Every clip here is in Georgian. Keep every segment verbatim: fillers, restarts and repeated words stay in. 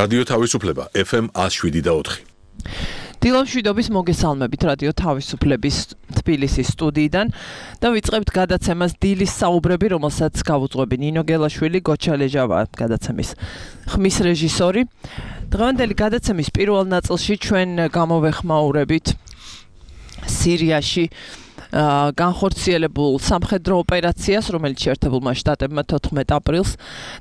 რადიო თავისუფლება ეფ ემ one oh seven და four. დილამშვიდობის მოგესალმებით რადიო თავისუფლების თბილისის სტუდიიდან და ვიწყებთ გადაცემას დილის საუბრები, რომელსაც გავუძღვები ნინო გელაშვილი, გოჩა ლეჟავა გადაცემის ხმის რეჟისორი. დღევანდელი გადაცემის პირველ ნაწილში ჩვენ გამოვეხმაურებით სირიაში განხორციელებულ სამხედრო ოპერაციას, რომელიც შეერთებულმა შტატებმა თოთხმეტ აპრილს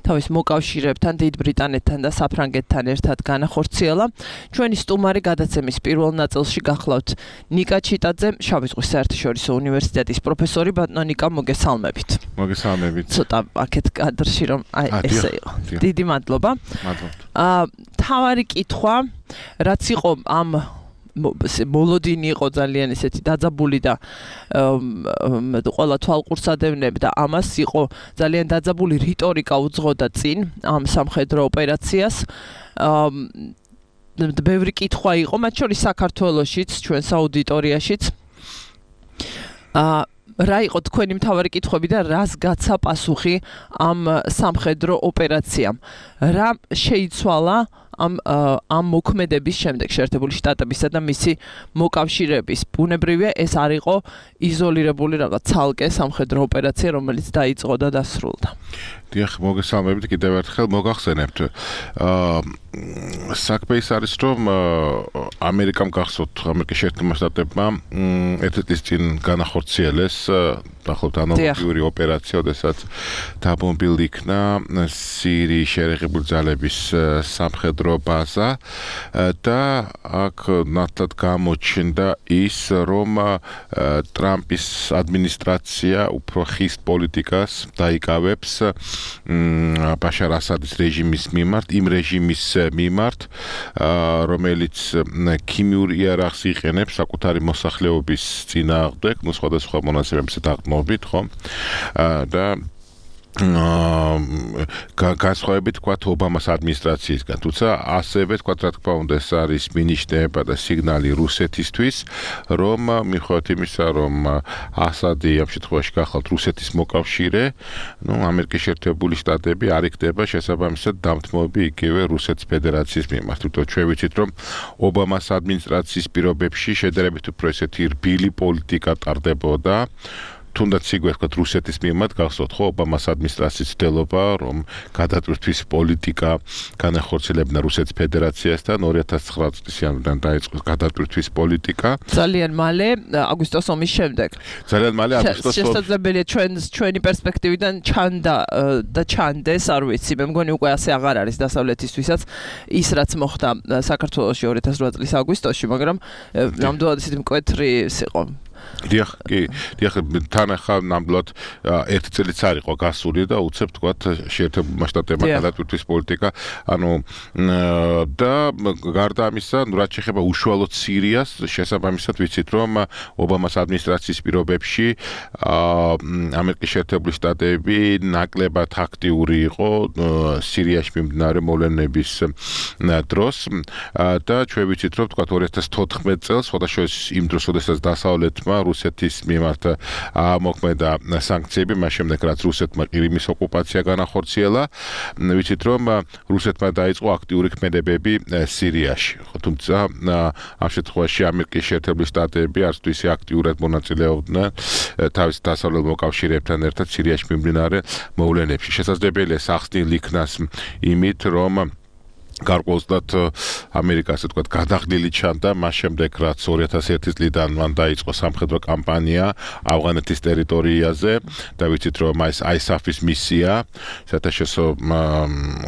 თავის მოკავშირეებთან, დიდ ბრიტანეთთან და საფრანგეთთან ერთად განახორციელა. ჩვენი სტუმარი გადაცემის პირველ ნაწილში გახლავთ ნიკა ჩიტაძე, შავი ზღვის საერთაშორისო უნივერსიტეტის პროფესორი. ბატონო ნიკა, მოგესალმებით. მოგესალმებით. ცოტა აქეთ კადრში რომ აი ესე იყო. დიდი მადლობა. მადლობთ. აა თავარი კითხვა, რაც იყო ამ მოლოდინი იყო ძალიან ესეთი დაძაბული და ყველა თვალყურს ადევნებდა ამას, იყო ძალიან დაძაბული რიტორიკა უძღოდა წინ ამ სამხედრო ოპერაციას. ბევრი კითხვა იყო, მათ შორის საქართველოშიც, ჩვენს აუდიტორიაშიც. რა იყო თქვენი მთავარი კითხვები და რას გაცა პასუხი ამ სამხედრო ოპერაციამ? რა შეიცვალა ამ ამ მოქმედების შემდეგ შეერთებული შტატებისა და მისი მოკავშირეების? ბუნებრივია, ეს არ იყო იზოლირებული რაღაც ცალკე სამხედრო ოპერაცია, რომელიც დაიწყო და დასრულდა. დიახ, მოგესალმებით კიდევ ერთხელ. მოგახსენებთ, აა საქმე ის არის, რომ ამერიკამ გახსოვთ, ამერიკის შეერთებულმა შტატებმა ერთი წლის წინ განახორციელეს დაახლოებით ანალოგიური ოპერაცია, როდესაც დაბომბილი იქნა სირიის შეერთებული ძალების სამხედრო ბაზა და აქ ნათლად გამოჩნდა ის, რომ ტრამპის ადმინისტრაცია უფრო ხის პოლიტიკას დაიკავებს ბაშარ ასადის რეჟიმის მიმართ, იმ რეჟიმის მიმართ, რომელიც ქიმიურ იარაღს იყენებს საკუთარი მოსახლეობის წინააღმდეგ, ну სხვადასხვა მონაცემებზე დაყრდნობით, ხო? და განსხვავებით თქვა ობამას ადმინისტრაციისგან, თუმცა ასევე თქვა რა თქმა უნდა ეს არის მინიშნება და სიგნალი რუსეთისთვის, რომ მიუხედავად იმისა, რომ ასადი ამ შემთხვევაში გახლავთ რუსეთის მოკავშირე, ну ამერიკის შეერთებული შტატები არ იქნება შესაბამისად დამთმობი იგივე რუსეთის ფედერაციის მიმართ. თუმცა ჩვენ ვიცით, რომ ობამას ადმინისტრაციის პირობებში შედარებით უფრო ესეთი რბილი პოლიტიკა ტარდებოდა. თუნდაც იგვე ვთქვათ რუსეთის მიმართ, გახსოვთ ხო ობამას ადმინისტრაციის ცდილობა, რომ გადატვირთვის პოლიტიკა განახორციელებინა რუსეთის ფედერაციასთან ორი ათას ცხრა წლის იანვრიდან დაიწყო გადატვირთვის პოლიტიკა. ძალიან მალე აგვისტოს ომის შემდეგ. ძალიან მალე აგვისტოს ომის. შესაძლებელია ჩვენ ჩვენი პერსპექტივიდან ჩანდა და ჩანდეს, არ ვიცი, მე მგონი უკვე ასე აღარ არის დასავლეთისთვისაც ის რაც მოხდა საქართველოში ორი ათას რვა წლის აგვისტოში, მაგრამ ნამდვილად ისეთი მკვეთრი იყო. დიახ, კი, დიახ, თან ახლა ნამდვილად ერთი წელიც არ იყო გასული და უცებ თქვათ შეერთებულმა შტატებმა გადატვირთვის პოლიტიკა, ანუ და გარდა ამისა, რაც შეეხება უშუალოდ სირიას, შესაბამისად ვიცით, რომ ობამას ადმინისტრაციის პირობებში ამერიკის შეერთებული შტატები ნაკლებად აქტიური იყო სირიაში მიმდინარე მოვლენების დროს და ჩვენ ვიცით, რომ თქვათ ორი ათას თოთხმეტ წელს, შესაძლოა იმ დროს, როდესაც დასავლეთმა რუსეთის მიმართ მოქმედა სანქციები, მას შემდეგ რაც რუსეთმა ყირიმის ოკუპაცია განახორციელა, ვიცით რომ რუსეთმა დაიწყო აქტიური ქმედებები სირიაში. თუმცა ამ შემთხვევაში ამერიკის შეერთებული შტატები არც თუ ისე აქტიურად მონაწილეობდნენ თავის დასავლელ მოკავშირეებთან ერთად სირიაში მიმდინარე მოვლენებში. შესაძლებელია სახსნილ იქნას იმით, რომ გარკვეულწილად ამერიკა ასე ვთქვათ გადაღლილი ჩანდა მას შემდეგ რაც ორი ათას ერთი წლიდან მან დაიწყო სამხედრო კამპანია ავღანეთის ტერიტორიაზე და ვიცით რომ ეს აისაფის მისია საერთაშორისო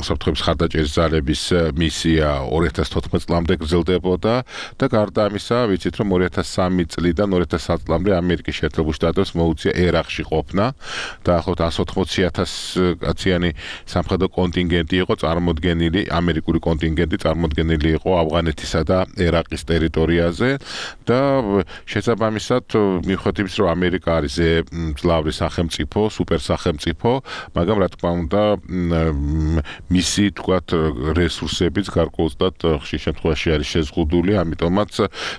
უსაფრთხოების მხარდაჭერის ძალების მისია ორი ათას თოთხმეტ წლამდე გრძელდებოდა და გარდა ამისა ვიცით რომ ორი ათას სამი წლიდან ორი ათას ათი წლამდე ამერიკის შეერთებულ შტატებს მოუწია ერაყში ყოფნა და ახლობთ εκατს ოცდაოთხი ათასი კაციანი სამხედრო კონტინგენტი იყო წარმოდგენილი ამერიკული კონტინგენტი წარმოდგენილი იყო ავღანეთისა და ერაყის ტერიტორიაზე და შესაბამისად მიუხედავად იმისა რომ ამერიკა არის მძლავრი სახელმწიფო, სუპერ სახელმწიფო, მაგრამ რა თქმა უნდა მისი თქვათ რესურსებიც გარკვეულწილად ხშირ შემთხვევაში არის შეზღუდული, ამიტომაც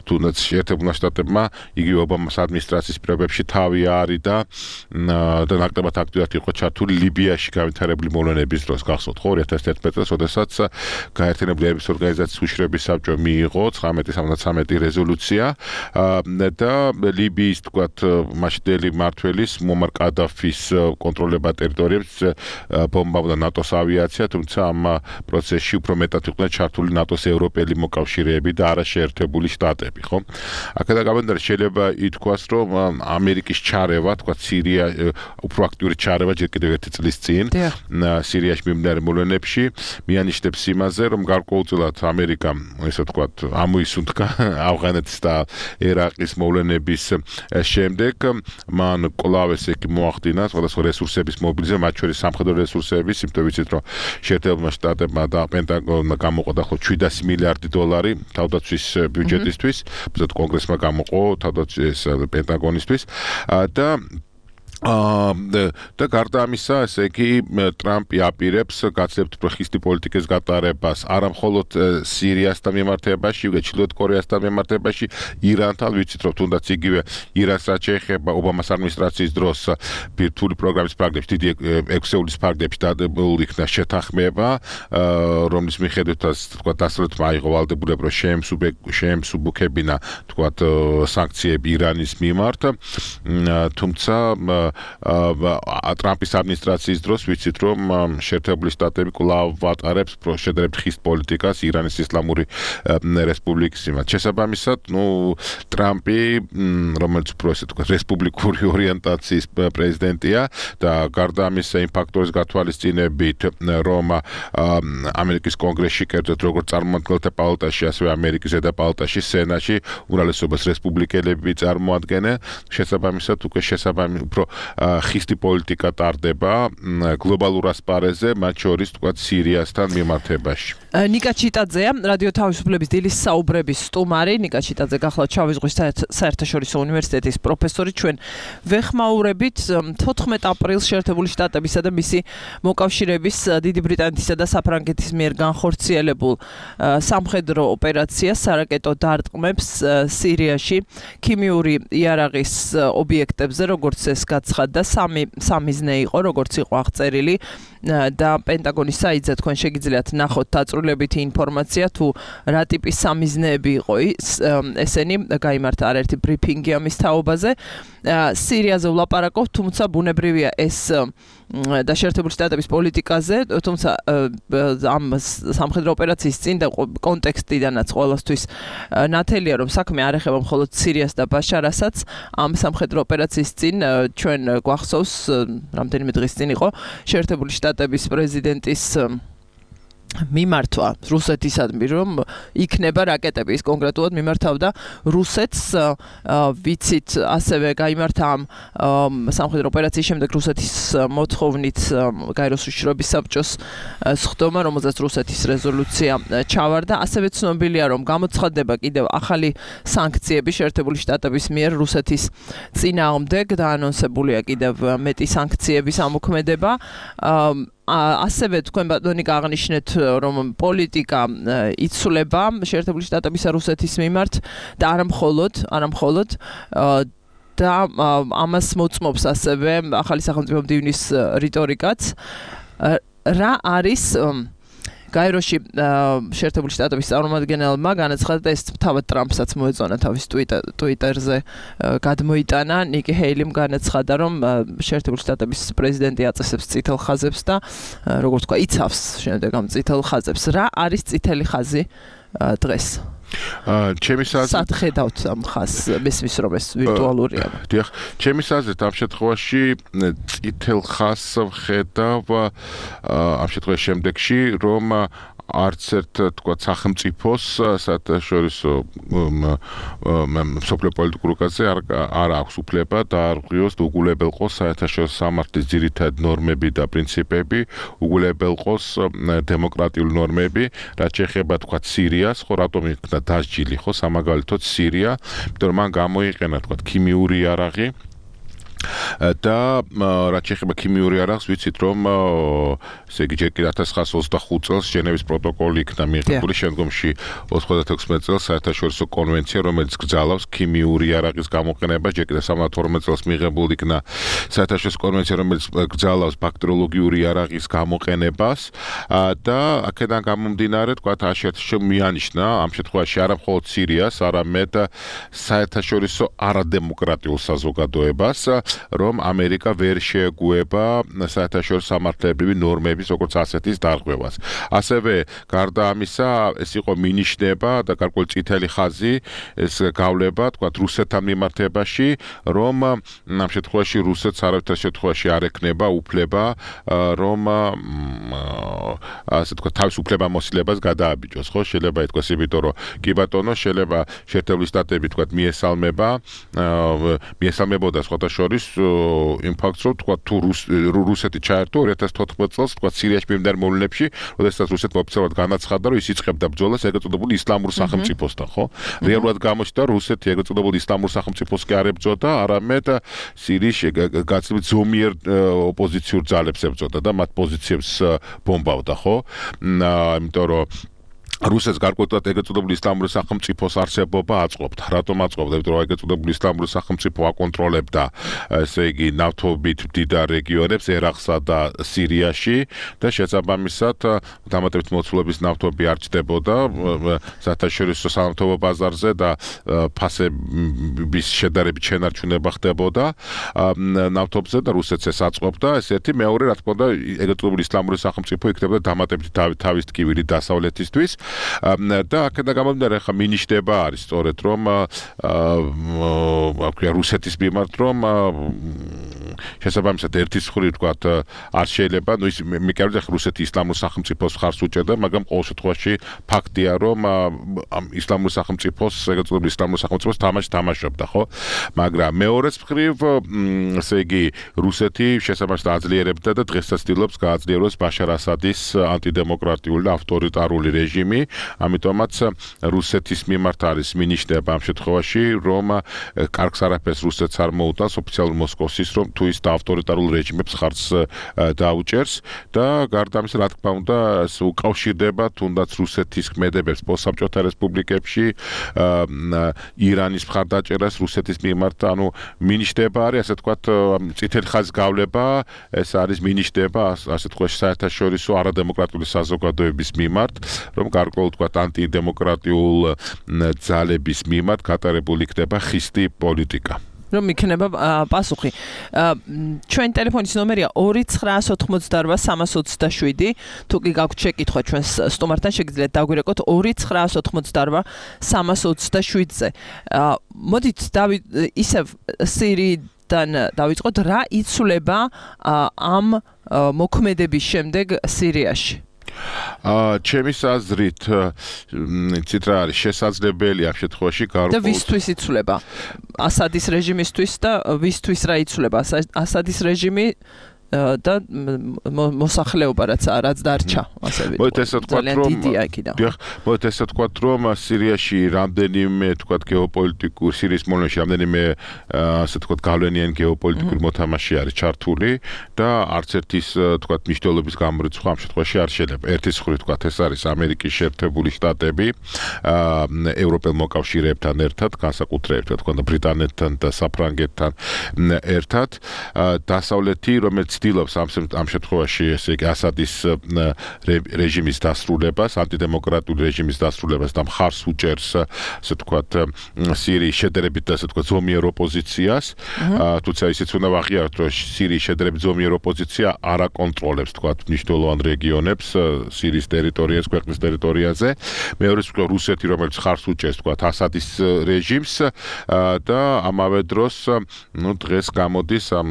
თუნდაც შეერთებულმა შტატებმა იგივე ობამას ადმინისტრაციის პირობებში თავი არიდა და ნაკლებად აქტიურად იყო ჩართული ლიბიაში განვითარებული მოვლენების დროს, გახსოვთ ხო ორი ათას თერთმეტ წელს, როდესაც გაერთიანებული ერების ორგანიზაციის უშიშროების საბჭო მიიღო ცხრამეტი სამოცდათრამეტი რეზოლუცია და ლიბიის თქვათ მაშინდელი მმართველის მუამარ კადაფის კონტროლება ტერიტორიებს ბომბავდა ნატოს ავიაცია, თუმცა ამ პროცესში უფრო მეტად იყვნენ ჩართული ნატოს ევროპელი მოკავშირეები და არა შეერთებული შტატები, ხო? აქედან გამომდინარე შეიძლება ითქვას, რომ ამერიკის ჩარევა, თქვათ სირია უფრო აქტიური ჩარევა ჯერ კიდევ ერთი წლის წინ სირიაში მიმდინარე მოვლენებში მიანიშნებს იმაზე, რომ გარკვეულწილად ამერიკამ, ესე ვთქვათ, ამოისუნთქა ავღანეთის და ერაყის მოვლენების შემდეგ მან კვლავ ესე იგი მოახდინა სხვადასხვა რესურსების მობილიზება, მათ შორის სამხედრო რესურსების, იმიტომ ვიცით, რომ შეერთებულმა შტატებმა და პენტაგონმა გამოყო დაახლოებით შვიდასი მილიარდი დოლარი თავდაცვის ბიუჯეტისთვის, უბრალოდ კონგრესმა გამოყო თავდაცვის პენტაგონისთვის და და გარდა ამისა, ესე იგი ტრამპი აპირებს გაცილებით უფრო ხისტი პოლიტიკის გატარებას არა მხოლოდ სირიასთან მიმართებაში, უკვე ჩრდილოეთ კორეასთან მიმართებაში, ირანთან, ვიცით რომ თუნდაც იგივე ირანს რაც შეეხება ობამას ადმინისტრაციის დროს ბირთვული პროგრამის ფარგლებში, დიდი ექვსეულის ფარგლებში დადებულ იქნა შეთანხმება, რომლის მიხედვითაც თქვა დასავლეთმა აიღო ვალდებულება, რომ შეემსუბუქებინა თქვა სანქციები ირანის მიმართ, თუმცა ტრამპის ადმინისტრაციის დროს ვიცით რომ შეერთებული შტატები კვლავ ატარებს შედარებით ხისტ პოლიტიკას ირანის ისლამური რესპუბლიკის მიმართ. შესაბამისად, ნუ ტრამპი, რომელიც უფრო ესე თქვა რესპუბლიკური ორიენტაციის პრეზიდენტია და გარდა ამისა იმ ფაქტორის გათვალისწინებით, რომ ამერიკის კონგრესში, კერძოდ როგორც წარმომადგენელთა პალატაში, ასევე ამერიკის ზედა პალატაში, სენატში უმრავლესობას რესპუბლიკელები წარმოადგენენ, შესაბამისად უკვე შესაბამი უფრო ხისტი პოლიტიკა ტარდება გლობალურ ასპარეზზე, მათ შორის თქვა სირიასთან მიმართებაში. ნიკა ჩიტაძეა, რადიო თავისუფლების დილის საუბრების სტუმარი. ნიკა ჩიტაძე გახლავთ შავი ზღვის საერთაშორისო უნივერსიტეტის პროფესორი. ჩვენ ვეხმაურებით თოთხმეტ აპრილს შეერთებული შტატებისა და მისი მოკავშირეების დიდი ბრიტანეთისა და საფრანგეთის მიერ განხორციელებულ სამხედრო ოპერაციას სარაკეტო დარტყმებს სირიაში ქიმიური იარაღის ობიექტებზე, როგორც ეს გაცხადდა, სამი სამიზნე იყო, როგორც იყო აღწერილი და პენტაგონის საიტზე თქვენ შეგიძლიათ ნახოთ დაწვრილებითი ინფორმაცია თუ რა ტიპის სამიზნეები იყო ესენი, გაიმართა არაერთი ბრიფინგი ამის თაობაზე. სირიაზე ვლაპარაკობთ, თუმცა ბუნებრივია ეს და შეერთებული შტატების პოლიტიკაზე, თუმცა ამ სამხედრო ოპერაციის წინ და კონტექსტიდანაც ყველასთვის ნათელია, რომ საქმე არ ეხება მხოლოდ სირიას და ბაშარ-ასადს. ამ სამხედრო ოპერაციის წინ ჩვენ გვახსოვს, რამდენიმე დღის წინ იყო შეერთებული შტატების პრეზიდენტის მიმართვა რუსეთისადმი, რომ იქნება რაკეტები, ის კონკრეტულად მიმართავდა რუსეთს. ვიცით, ასევე გაიმართა ამ სამხედრო ოპერაციის შემდეგ რუსეთის მოთხოვნით გაეროს უშიშროების საბჭოს სხდომა, რომელზეც რუსეთის რეზოლუცია ჩავარდა. ასევე ცნობილია, რომ გამოცხადდება კიდევ ახალი სანქციები შეერთებული შტატების მიერ რუსეთის წინააღმდეგ და ანონსებულია კიდევ მეტი სანქციების ამოქმედება. ასევე თქვენ ბატონი გააღნიშნეთ, რომ პოლიტიკა იცვლება შეერთებული შტატებისა რუსეთის მიმართ და არა მხოლოდ, არა მხოლოდ და ამას მოწმობს ასევე ახალი სახელმწიფო მდივნის რიტორიკაც. რა არის გაეროში შეერთებული შტატების წარმომადგენელმა განაცხადა, ეს თავად ტრამპსაც მოეწონა თავის ტვიტერზე გადმოიტანა. ნიკი ჰეილიმ განაცხადა, რომ შეერთებული შტატების პრეზიდენტი აწესებს წითელ ხაზებს და როგორც თქვა, იცავს შემდეგ ამ წითელ ხაზებს. რა არის წითელი ხაზი დღეს? ჩემის აზრით სად ხედავთ ამ ხაზს, მესმის რომ ეს ვირტუალურია. დიახ, ჩემის აზრით ამ შემთხვევაში წითელ ხაზს ვხედავ ამ შემთხვევაში შემდეგში, რომ არც ერთ თქვა სახელმწიფოს საერთაშორისო მსოფლიო პოლიტიკურ კაზე არ აქვს უფლება დაარღვიოს და უგულებელყოს საერთაშორისო სამართლის ძირითადი ნორმები და პრინციპები, უგულებელყოს დემოკრატიული ნორმები, რაც შეეხება თქვა სირიას, ხო რატომ იქნა დასჯილი, ხო სამაგალითოდ სირია, იმიტომ რომ მან გამოიყენა თქვა ქიმიური იარაღი და რაც შეეხება ქიმიური არაღს, ვიცით რომ ესე იგი ჯერ კიდევ ათას ცხრაასი ოცდახუთ წელს ჟენევის პროტოკოლი იქნა მიღებული, შემდგომში ოცდათექვსმეტ წელს საერთაშორისო კონვენცია, რომელიც გრძალავს ქიმიური არაღის გამოყენებას, ჯერ კიდევ სამოცდათორმეტ წელს მიღებული იქნა საერთაშორისო კონვენცია, რომელიც გრძალავს ბაქტერიოლოგიური არაღის გამოყენებას და აქედან გამომდინარე, თქვათ, აშერტში მიანიშნა ამ შემთხვევაში არა მხოლოდ სირიას, არამედ საერთაშორისო არადემოკრატიულ საზოგადოებას, რომ ამერიკა ვერ შეეგუება საერთაშორისო სამართლებრივი ნორმების როგორც ასეთის დარღვევას. ასევე გარდა ამისა, ეს იყო მინიშნება და გარკვეული წითელი ხაზი, ეს გავლება, თქვათ, რუსეთთან მიმართებაში, რომ ამ შემთხვევაში რუსეთს არავითარ შემთხვევაში არ ექნება უფლება, რომ ასე თქვა თავის უფლებამოსილებას გადააბიჯოს, ხო? შეიძლება ითქვას, იმიტომ რომ კი ბატონო, შეიძლება შეერთებული შტატები თქვა მიესალმება, მიესალმებოდა სხვათა შორის იმ ფაქტს, რომ თქვა თუ რუსეთი ჩაერთო ორი ათას თოთხმეტ წელს, თქვა სირიაში მიმდინარე მოვლენებში, როდესაც რუსეთმა ოფიციალურად განაცხადა, რომ ის იწყებდა ბრძოლას ეგრეთ წოდებული ისლამურ სახელმწიფოსთან, ხო? რეალურად გამოჩნდა, რომ რუსეთი ეგრეთ წოდებული ისლამურ სახელმწიფოს კი არ ებრძოდა, არამედ სირიის გაცილებით ზომიერ ოპოზიციურ ძალებს ებრძოდა და მათ პოზიციებს ბომბავდა, ხო? იმიტომ რომ რუსეთს გარკვეულად ეგრეთ წოდებული ისლამური სახელმწიფოს არსებობა აწყობდა. რატომ აწყობდა? იმიტომ რომ ეგრეთ წოდებული ისლამური სახელმწიფო აკონტროლებდა, ესე იგი, ნავთობით მდიდარ რეგიონებს ერაყსა და სირიაში და შესაბამისად დამატებით მოცულობის ნავთობი არ ჩდებოდა საერთაშორისო სანავთობო ბაზარზე და ფასების შედარებით შენარჩუნება ხდებოდა ნავთობზე და რუსეთს ეს აწყობდა. ეს ერთი, მეორე, რა თქმა უნდა, ეგრეთ წოდებული ისლამური სახელმწიფო იქნებოდა დამატებით თავის ტკივილი დასავლეთისთვის. და აქედან გამომდინარე, ხა მინიშნება არის სწორედ რომ აა რუსეთის მიმართ რომ შესაბამისად ერთის მხრივ თქვათ არ შეიძლება, ნუ ის მიკერდა რუსეთი ისლამურ სახელმწიფოს ხარს უჭერდა, მაგრამ ყოველ შემთხვევაში ფაქტია რომ ამ ისლამურ სახელმწიფოს, ეგრეთ წოდებული ისლამურ სახელმწიფოს თამაში თამაშობდა, ხო? მაგრამ მეორეს მხრივ, ესე იგი, რუსეთი შესაბამისად აძლიერებდა და დღესაც ცდილობს გააძლიეროს ბაშარ ასადის ანტიდემოკრატიული და ავტორიტარული რეჟიმი, ამიტომაც რუსეთის მიმართ არის მინიშნება ამ შემთხვევაში, რომ კარგს არაფერს რუსეთს არ მოუტანს ოფიციალურ მოსკოვსის, რომ თუ ის ავტორიტარულ რეჟიმებს ხარს დაუჭერს და გარდა ამისა, რა თქმა უნდა, უკავშირდება თუნდაც რუსეთის ქმედებებს პოსტსაბჭოთა რესპუბლიკებში, ირანის მხარდაჭერას რუსეთის მიმართ, ანუ მინიშნება არის, ასე თქვათ, წითელი ხაზის გავლება, ეს არის მინიშნება, ასე თქვათ, საერთაშორისო არადემოკრატიული საზოგადოების მიმართ, რომ გარკვეულ თქვათ ანტიდემოკრატიულ ძალების მიმართ გატარებული იქნება ხისტი პოლიტიკა. რომ იქნება პასუხი. ჩვენ ტელეფონის ნომერია ორი ცხრაასი ოცდაოთხმოცდაორვა სამას ოცდაშვიდი. თუ კი გაქვთ შეკითხვა ჩვენს სტუმართან, შეგიძლიათ დაგვირეკოთ ორი ცხრაასი ოცდაოთხმოცდაორვა სამას ოცდაშვიდზე. მოდით დავით ისევ სირიიდან დავიწყოთ, რა იცვლება ამ მოქმედების შემდეგ სირიაში? აა ჩემის აზრით, იცით რა არის, შესაძლებელია ამ შემთხვევაში გარკვეულ და ვისთვის იცვლება? ასადის რეჟიმისთვის და ვისთვის რა იცვლება? ასადის რეჟიმი და მოსახლეობა რაც რაც დარჩა, ასე ვთქვათ, რომ მოდით ესე ვთქვათ, რომ სირიაში რამდენიმე ვთქვათ გეოპოლიტიკური სირიის მოვლენაში რამდენიმე ასე ვთქვათ გავლენიანი გეოპოლიტიკური მოთამაშე არის ჩართული და არც ერთის ვთქვათ მნიშვნელობის გამორიცხვა ამ შემთხვევაში არ შეიძლება. ერთის მხრივ ვთქვათ, ეს არის ამერიკის შეერთებული შტატები ევროპელ მოკავშირეებთან ერთად, განსაკუთრებით ვთქვათ ბრიტანეთთან და საფრანგეთთან ერთად, დასავლეთი, რომელიც ცდილობს ამ შემთხვევაში, ესე იგი, ასადის რეჟიმის დასრულებას, ანტიდემოკრატიული რეჟიმის დასრულებას და მხარს უჭერს, ასე ვთქვათ, სირიის შედარებით, ასე ვთქვათ, ზომიერ ოპოზიციას, თუმცა ისიც უნდა ვაღიაროთ, რომ სირიის შედარებით ზომიერ ოპოზიცია არ აკონტროლებს, ვთქვათ, მნიშვნელოვან რეგიონებს სირიის ტერიტორიაზე, ქვეყნის ტერიტორიაზე. მეორე მხრივ რუსეთი, რომელიც მხარს უჭერს, ვთქვათ, ასადის რეჟიმს და ამავე დროს, ნუ დღეს გამოდის ამ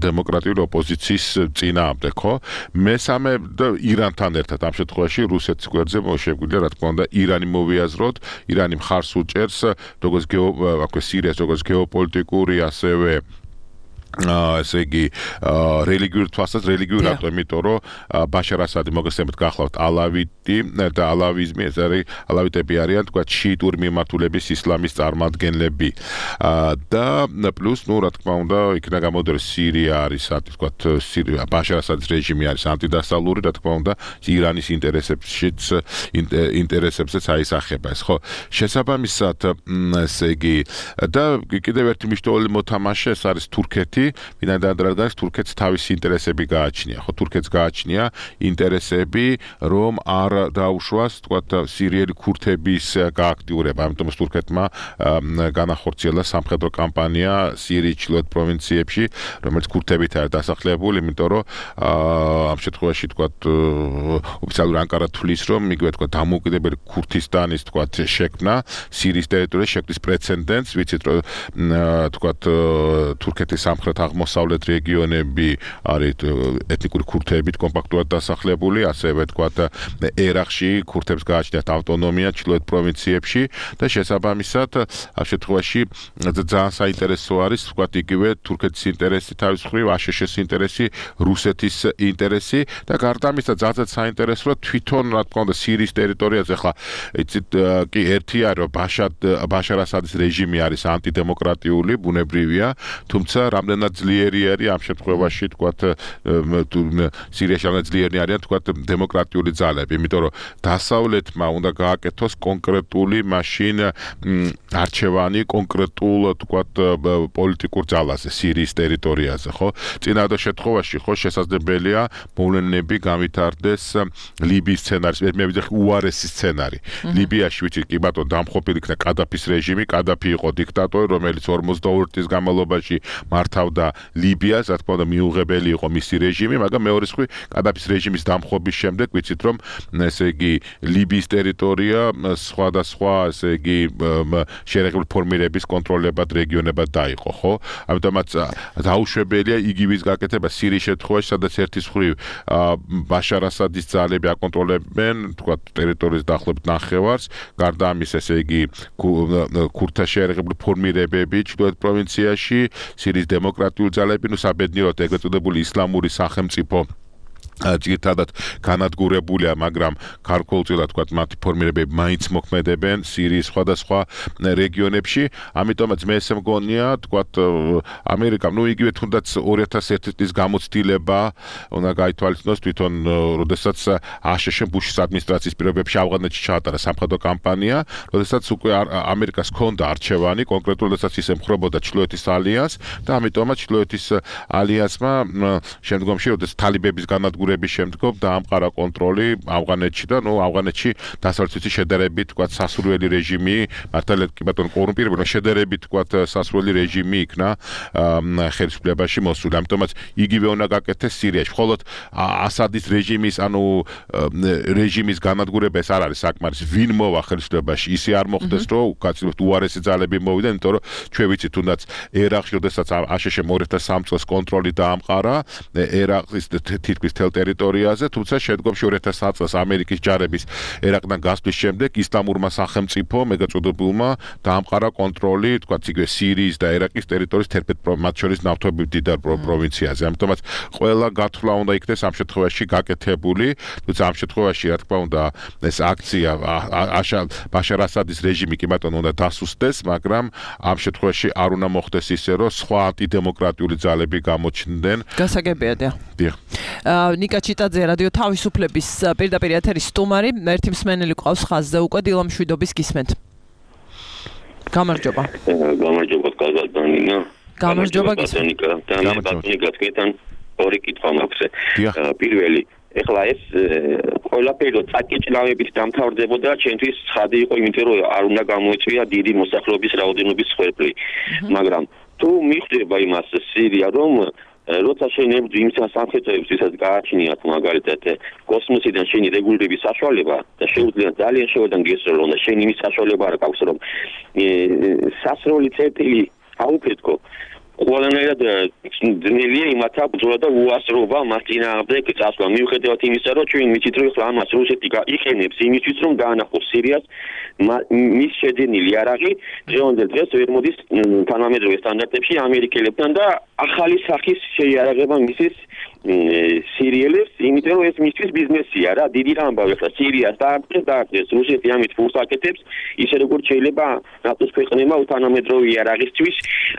დემოკრატიული ოპოზიციის წინააღმდეგ, ხო? მესამე და ირანთან ერთად ამ შემთხვევაში რუსეთის გვერდზე მოშეგვიძლია, რა თქმა უნდა, ირანი მოვიაზროთ, ირანი მხარს უჭერს, როგორც გეო, აქვე სირიას, როგორც გეოპოლიტიკური, ასევე ესე იგი რელიგიურ თვალსაზრისით რელიგიურ რატო იმიტომ რომ ბაშარ ასადი მოგესწრებით გახლავთ ალავიტი და ალავიზმი ეს არის ალავიტები არიან თქვა შიიტური მიმართულების ისლამის წარმომადგენლები და პლუს ნუ რა თქმა უნდა იქნა გამოდიოდა სირია არის თქვა სირია ბაშარ ასადის რეჟიმი არის ანტიდასავლური რა თქმა უნდა ირანის ინტერესებშიც ინტერესებსაც აისახება ეს ხო შესაბამისად ესე იგი და კიდევ ერთი მნიშვნელოვანი მოთამაშე ეს არის თურქეთი ვინაიდან რადგან თურქეთს თავისი ინტერესები გააჩნია. ხო თურქეთს გააჩნია ინტერესები, რომ არ დაუშვას, თქვათ, სირიელი ქურთების გააქტიურება. ამიტომ თურქეთმა განახორციელა სამხედრო კამპანია სირიის ჩრდილოეთ პროვინციებში, რომელიც ქურთებით არის დასახლებული, იმიტომ რომ ამ შემთხვევაში, თქვათ, ოფიციალური ანკარა თვლის, რომ იგივე თქვათ, დამოუკიდებელი ქურთისტანის, თქვათ, შექმნა სირიის ტერიტორიაზე შექმნის პრეცედენტს, ვიცით, რომ თქვათ, თურქეთის სამხრეთ აღმოსავლეთ რეგიონები არის ეთნიკური ქურთებით კომპაქტურად დასახლებული, ასევე თქვათ ერაყში ქურთებს გააჩნიათ ავტონომია ჩრდილოეთ პროვინციებში და შესაბამისად ამ შემთხვევაში ძალიან საინტერესო არის თქვათ იგივე თურქეთის ინტერესი თავის მხრივ, აშშ-ის ინტერესი, რუსეთის ინტერესი და გარდა ამისა ძალიან საინტერესო რომ თვითონ რა თქმა უნდა სირიის ტერიტორიაზე ხა იცით კი ერთი არის რომ ბაშარ ასადის რეჟიმი არის ანტიდემოკრატიული, ბუნებრივია, თუმცა რამდენად ძლიერი არის ამ შემთხვევაში თქვათ სირიაში რამდენად ძლიერი არიან თქვათ დემოკრატიული ძალები, იმიტომ რომ დასავლეთმა უნდა გააკეთოს კონკრეტული მაშინ არჩევანი კონკრეტულ თქვათ პოლიტიკურ ძალაზე სირიის ტერიტორიაზე, ხო? წინადად შემთხვევაში ხო შესაძლებელია მოვლენები გავითარდეს ლიბიის სცენარის, მე ვიძახი უარესი სცენარი. ლიბიაში ვიცით კი ბატონო დამხობილი იქნა კადაფის რეჟიმი, კადაფი იყო დიქტატორი, რომელიც ორმოცდაორი წლის განმავლობაში მართავდა ლიბიას, რა თქმა უნდა მიუღებელი იყო მისი რეჟიმი, მაგრამ მეორე მხრივ კადაფის რეჟიმის დამხობის შემდეგ ვიცით რომ ესე იგი ლიბიის ტერიტორია სხვადასხვა ესე იგი შერეღებული ფორმირების კონტროლებად რეგიონებად დაიყო, ხო? ამიტომაც დაუშვებელია იგივეს გაკეთება სირიის შემთხვევაში, სადაც ერთის მხრივ ბაშარ ასადის ძალები აკონტროლებენ, თქვა ტერიტორიის დაახლოებით ნახევარს, გარდა ამის ესე იგი ქურთთა შერეღებული ფორმირებები ჩრდილოეთ პროვინციაში, სირიის დემოკრატიული ძალები, ნუ საბედნიეროდ ეგრეთ წოდებული ისლამური სახელმწიფო ძირითადად განადგურებულია, მაგრამ ქართულწილად თქვა მათი ფორმირებები მაინც მოქმედებენ სირიის სხვადასხვა რეგიონებში, ამიტომაც მე ესე მგონია, თქვა ამერიკამ, ნუ იგივე თუნდაც ორი ათას ერთი წლის გამოცდილება უნდა გაითვალისწინოს თვითონ, როდესაც აშშ ბუშის ადმინისტრაციის პირობებში ავღანეთში ჩაატარა სამხედრო კამპანია, როდესაც უკვე ამერიკას ჰქონდა არჩევანი, კონკრეტულად როდესაც ის ემხრობოდა ჩრდილოეთის ალიანსს და ამიტომაც ჩრდილოეთის ალიანსმა შემდგომში, როდესაც თალიბების განადგურება შემდგომ დაამყარა კონტროლი ავღანეთში და ნუ ავღანეთში დასავლეთის შედარებით თქვა სასურველი რეჟიმი მართალია კი ბატონო კორუმპირებული შედარებით თქვა სასურველი რეჟიმი იქნა ხელისუფლებაში მოსული. ამიტომაც იგივე უნდა გაკეთდეს სირიაში. მხოლოდ ასადის რეჟიმის ანუ რეჟიმის განადგურება ეს არ არის საკმარისი. ვინ მოვა ხელისუფლებაში, ისე არ მოხდეს რომ უკაცრავად უარესი ძალები მოვიდნენ, იმიტომ რომ ჩვენ ვიცით თუნდაც ერაყში როდესაც აშშ-მ ორი ათას სამი წელს კონტროლი დაამყარა ერაყის თითქმის თელ ტერიტორიაზე, თუმცა შემდგომში ორი ათას ათი წელს ამერიკის ჯარების ერაყიდან გასვლის შემდეგ ისლამურმა სახელმწიფო მეგაწოდებულმა დაამყარა კონტროლი, თქვათ იგივე სირიის და ერაყის ტერიტორიის თერთმეტ მათ შორის ნავთობის მდიდარ პროვინციაზე. ამიტომაც ყველა გათვლა უნდა იქნეს ამ შემთხვევაში გაკეთებული, თუმცა ამ შემთხვევაში რა თქმა უნდა ეს აქცია ბაშარ ასადის რეჟიმი კი ბატონო უნდა დასუსტდეს, მაგრამ ამ შემთხვევაში არ უნდა მოხდეს ისე, რომ სხვა ანტიდემოკრატიული ძალები გამოჩნდნენ. გასაგებია და. დიახ. ნიკა ჩიტაძე რადიო თავისუფლების პირდაპირ ეთერის სტუმარი, ერთი მსმენელი ყავს ხაზზე უკვე დილა მშვიდობის გისმენთ. გამარჯობა. გამარჯობა კაზაკდანინა. გამარჯობა გისმენთ. გამარჯობა გასკეთან ორი კითხვა მაქვს. პირველი, ეხლა ეს ყველაფერი რო წაკიჭლავებით დამთავრდებოდა, ჩვენთვის ცხადი იყო, იმიტომ რომ არ უნდა გამოიწვია დიდი მოსახლეობის რაოდენობის სხერფლი. მაგრამ თუ მიხვდება იმას სირია რომ როცა შენ ებრძვი იმ სამხედროებს, ვისაც გააჩნიათ მაგალითად კოსმოსიდან შენი რეგულირების საშუალება და შეუძლია ძალიან შევედან გესროლონ და შენ იმის საშუალება არ გაქვს რომ სასროლი წერტილი აუფეთქო ყველანაირად ძნელია იმათა ბრძოლა და უასრობა მას წინააღმდეგ წასვლა. მიუხედავად იმისა, რომ ჩვენ ვიცით, რომ ახლა ამას რუსეთი იყენებს იმისთვის, რომ დაანახოს სირიას მის შეძენილი იარაღი დღევანდელ დღეს ვერ მოდის თანამედროვე სტანდარტებში ამერიკელებთან და ახალი სახის შეიარაღება მისის სირიელებს, იმიტომ რომ ეს მისთვის ბიზნესია რა, დიდი ამბავი ახლა სირიას დაარღვეს დაარღვეს რუსეთი ამით ფულს აკეთებს, ისე როგორც შეიძლება ნატოს ქვეყნებმა თანამედროვე იარაღისთვის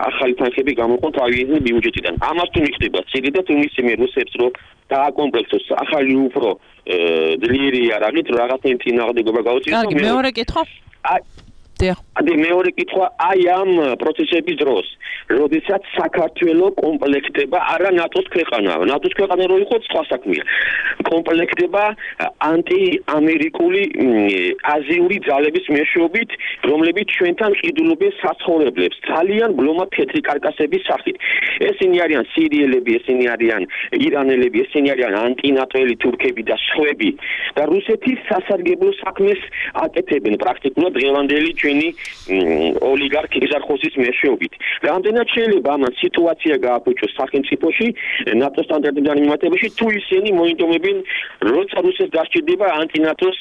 ახალი თანხები გამოყონ თავიანთი ბიუჯეტიდან. ამას თუ მიხდება სირია და თუ მისცემენ რუსებს რომ დააკომპლექტოს ახალი უფრო ძლიერი იარაღით რაღაცნაირი წინააღმდეგობა გაუწიოს. კარგი, მეორე კითხვა? ადი მეორე კითხვა აი ამ პროცესების დროს, როდესაც საქართველო კომპლექტება არა ნატოს ქვეყანა, ნატოს ქვეყანა რო იყო სხვა საქმეა. კომპლექტება ანტიამერიკული აზიური ძალების მეშვეობით, რომლებიც ჩვენთან ყიდულობენ საცხოვრებლებს, ძალიან ბლომად თეთრი კარკასების სახით. ესენი არიან სირიელები, ესენი არიან ირანელები, ესენი არიან ანტინატოელი თურქები და სხვები და რუსეთის სასარგებლო საქმეს აკეთებენ პრაქტიკულად დღევანდელი ოლიგარქი იზარხოსის მეშვეობით. რამდენად შეიძლება ამან სიტუაცია გააფუჭოს სახელმწიფოში ნატოს სტანდარტებთან მიმართებაში თუ ისინი მოინდომებენ როცა რუსეთს დასჭირდება ანტინატოს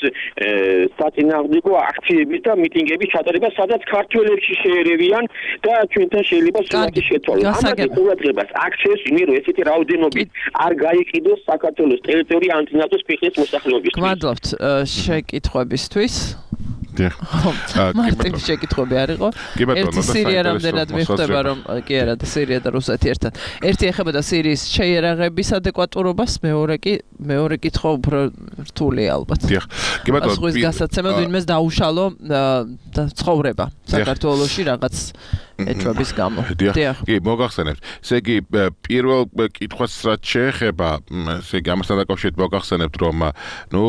საწინააღმდეგო აქციების და მიტინგების ჩატარება, სადაც ქართველებში შეერევიან და ჩვენთან შეიძლება სულადი შეცვალოს. ამაზე ყურადღებას აქცევს იმერო ესეთი რაოდენობით არ გაიყიდოს საქართველოს ტერიტორია ანტინატოს ფეხის მოსახლეობის. გმადლობთ შეკითხვებისთვის. დიახ. მარტივი შეკითხვები არ იყო. ერთი სირია რამდენად მიხვდება რომ კი არა და სირია და რუსეთი ერთად. ერთი ეხება და სირიის შეიარაღების ადეკვატურობას, მეორე კი მეორე კითხვა უფრო რთულია ალბათ. დიახ. კი ბატონო. ზღვის გასაცემად ვინმეს დაუშალო და ცხოვრება საქართველოში რაღაც ეჭვების გამო. დიახ. კი მოგახსენებთ. ესე იგი პირველ კითხვას რაც შეეხება, ესე იგი ამასთან დაკავშირებით მოგახსენებთ რომ ნუ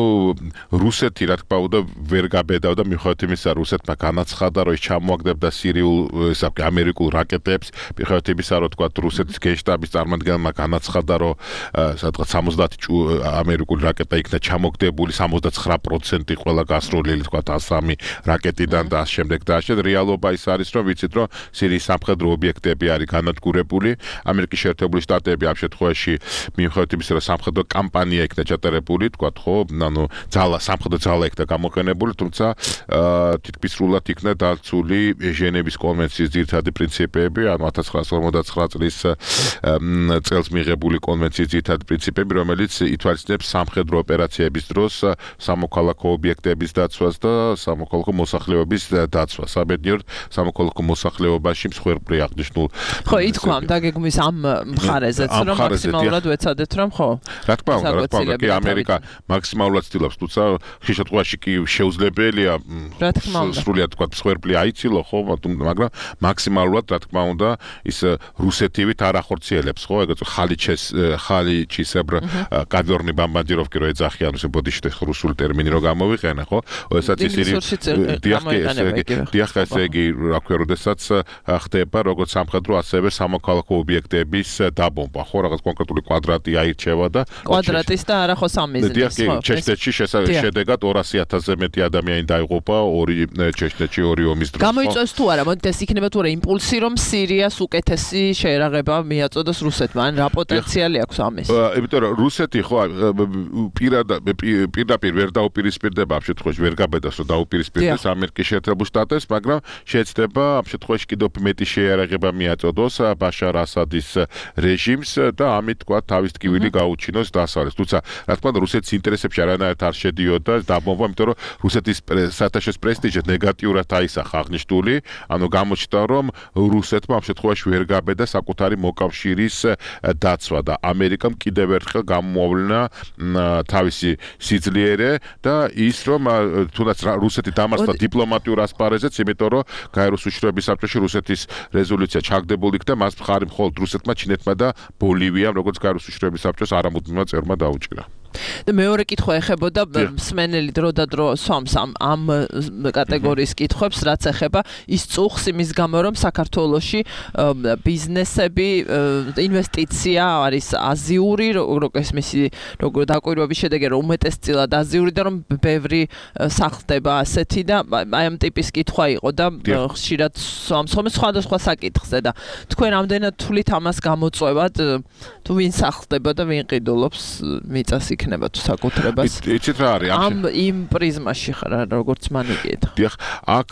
რუსეთი რა თქმა უნდა ვერ გაბედავდა მიუხედავად იმისა, რუსეთმა განაცხადა, რომ ის ჩამოაგდებდა სირიულ, ესე იგი ამერიკულ რაკეტებს, მიუხედავად იმისა, რომ თქვა რუსეთის გენშტაბის წარმომადგენელმა განაცხადა, რომ სადღაც სამოცდაათი ამერიკული რაკეტა იქნა ჩამოგდებული, სამოცდაცხრა პროცენტი ყველა გასროლილი თქვა ას სამი რაკეტიდან და ამ შემდეგ და ამ რეალობა ის არის, რომ ვიცით, რომ სირიის სამხედრო ობიექტები არის განადგურებული, ამერიკის შეერთებული შტატები ამ შემთხვევაში მიუხედავად იმისა, რომ სამხედრო კამპანია იქნა ჩატარებული, თქვა ხო, ანუ ძალა, სამხედრო ძალა იქნა გამოყენებული, თუმცა თითქმის სრულად იქნა დაცული ჟენევის კონვენციის ძირითადი პრინციპები, ანუ ათას ცხრაასი ორმოცდაცხრა წლის წელს მიღებული კონვენციის ძირითადი პრინციპები, რომელიც ითვალისწინებს სამხედრო ოპერაციების დროს სამოქალაქო ობიექტების დაცვას და სამოქალაქო მოსახლეობის დაცვას. საბედნიეროდ სამოქალაქო მოსახლეობაში მსხვერპლი აღნიშნულ. ხო, ითქვა დაგეგმვის ამ მხარეზეც, რომ მაქსიმალურად ვეცადეთ, რომ ხო. რა თქმა უნდა, რა თქმა უნდა, კი ამერიკა მაქსიმალურად ცდილობს, თუმცა ხშირ შემთხვევაში კი შეუძლებელია სრულიად თქვა მსხვერპლი აიცილო, ხო, მაგრამ მაქსიმალურად რა თქმა უნდა ის რუსეთივით არ ახორციელებს, ხო, ეგეც ხალიჩეს ხალიჩისებრ კადორნი ბამბანდიროვკი რო ეძახიან, ესე ბოდიშტე რუსული ტერმინი რო გამოვიყენე, ხო, ესეც ისინი დიახ, ესე იგი, რა ქვია, როდესაც ხდება როგორც სამხედრო, ასევე სამოქალაქო ობიექტების დაბომბვა, ხო, რაღაც კონკრეტული კვადრატი აირჩევა და კვადრატის და არა ხო სამიზნის, დიახ, ჩეჩნეთში შედეგად ორასი ათასზე მეტი ადამიანი დაიღუპა ორი ჩეჩნეთში ორი ომის დროს. გამოიწვევს თუ არა, მოდით ეს იქნება თუ არა იმპულსი, რომ სირიას უკეთესი შეერაღება მიაწოდოს რუსეთმა, ან რა პოტენციალი აქვს ამის? იმიტომ რომ რუსეთი ხო პირდაპირ ვერ დაუპირისპირდება ამ შემთხვევაში, ვერ გაბედავს რომ დაუპირისპირდეს ამერიკის შეერთებულ შტატებს, მაგრამ შეეცდება ამ შემთხვევაში კიდევ მეტი შეერაღება მიაწოდოს ბაშარ ასადის რეჟიმს და ამით თქვა თავის ტკივილი გაუჩინოს დასავლეთს. თუმცა რა თქმა უნდა რუსეთის ინტერესებში არანაირად არ შედიოდა დაბომბვა, იმიტომ რომ რუსეთის საერთაშორისო პრესტიჟი ნეგატიურად აისახა აღნიშნული, ანუ გამოჩნდა რომ რუსეთმა ამ შემთხვევაში ვერ გაბედა საკუთარი მოკავშირის დაცვა და ამერიკამ კიდევ ერთხელ გამოავლინა თავისი სიძლიერე და ის რომ თუნდაც რუსეთი დამარცხდა დიპლომატიურ ასპარეზეც, იმიტომ რომ გაეროს უშიშროების საბჭოში რუსეთის რეზოლუცია ჩაგდებულ იქნა, მას მხარი მხოლოდ რუსეთმა, ჩინეთმა და ბოლივიამ, როგორც გაეროს უშიშროების საბჭოს არამუდმივმა წევრმა დაუჭირა. და მეორე კითხვა ეხებოდა მსმენელი დრო და დრო სვამს ამ ამ კატეგორიის კითხვებს, რაც ეხება ის წუხს იმის გამო, რომ საქართველოში ბიზნესები, ინვესტიცია არის აზიური, როგორც მისი როგორ დაკვირვების შედეგი რომ უმეტესწილად აზიური და რომ ბევრი სახლდება ასეთი და აი ამ ტიპის კითხვა იყო და ხშირად სვამს ხოლმე სხვადასხვა საკითხზე და თქვენ ამდენად თვლით ამას გამოწვევად თუ ვინ სახლდება და ვინ ყიდულობს მიწას იქნება თუ საკუთრებას. იცით რა არის ამ იმ პრიზმაში ხარ როგორც მან იკითხა. დიახ, აქ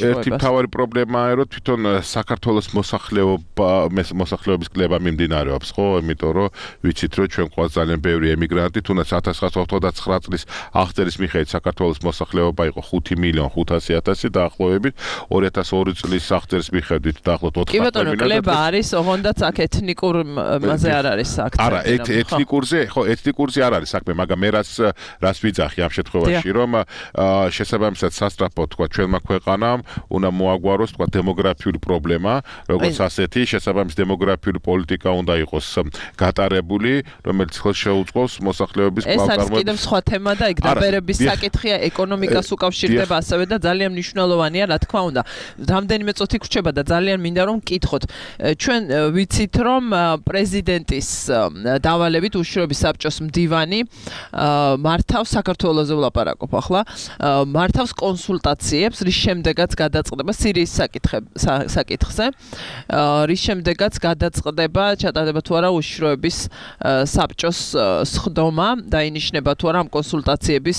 ერთი მთავარი პრობლემაა რომ თვითონ საქართველოს მოსახლეობა მოსახლეობის კლება მიმდინარეობს, ხო? იმიტომ რომ ვიცით რომ ჩვენ ყავს ძალიან ბევრი ემიგრანტი, თუნდაც ათას ცხრაასა ოცდაოთხ წლის აღწერის მიხედვით საქართველოს მოსახლეობა იყო ხუთი მილიონი ხუთასი ათასი დაახლოებით, ორი ათას ორი წლის აღწერის მიხედვით დაახლოებით ოთხი მილიონი. კი ბატონო, კლება არის, ოღონდაც აქ ეთნიკურ მაზე არ არის აქცენტი. არა, ეთნიკურზე, ხო, ეთნიკურზე არ არის საქმე, მაგრამ მე რაც რაც ვიძახი ამ შემთხვევაში, რომ შესაბამისად სასწრაფო თქვა ჩვენმა ქვეყანამ უნდა მოაგვაროს თქვა დემოგრაფიული პრობლემა, როგორც ასეთი შესაბამის დემოგრაფიული პოლიტიკა უნდა იყოს გატარებული, რომელიც ხელს შეუწყობს მოსახლეობის კვლავ წარმოებას. ეს არის კიდევ სხვა თემა და იქ დაბერების საკითხია, ეკონომიკას უკავშირდება ასევე და ძალიან მნიშვნელოვანია, რა თქმა უნდა. რამდენიმე წუთი გრჩება და ძალიან მინდა რომ მკითხოთ. ჩვენ ვიცით რომ პრეზიდენტის დავალებით უშიშროების საბჭოს მდივანი მართავს საქართველოს ვლაპარაკობ ახლა მართავს კონსულტაციებს რის შემდეგაც გადაწყდება სირიის საკითხზე რის შემდეგაც გადაწყდება ჩატარდება თუ არა უშიშროების საბჭოს სხდომა დაინიშნება თუ არა ამ კონსულტაციების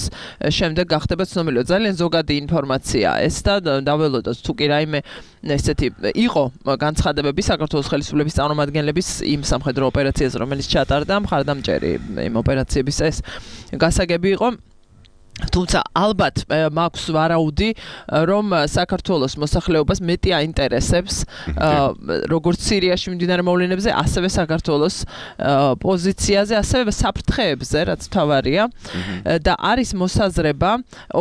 შემდეგ გახდება ცნობილი ძალიან ზოგადი ინფორმაციაა ეს და დაველოდოთ თუ კი რაიმე ესეთი იყო განცხადებები საქართველოს ხელისუფლების წარმომადგენლების იმ სამხედრო ოპერაციაზე რომელიც ჩატარდა მხარდამჭერი იმ ოპერაციების ეს გასაგები იყო თუმცა ალბათ მაქვს ვარაუდი რომ საქართველოს მოსახლეობას მეტი აინტერესებს როგორც სირიაში მიმდინარე მოვლენებზე ასევე საქართველოს პოზიციაზე ასევე საფრთხეებზე რაც თავარია და არის მოსაზრება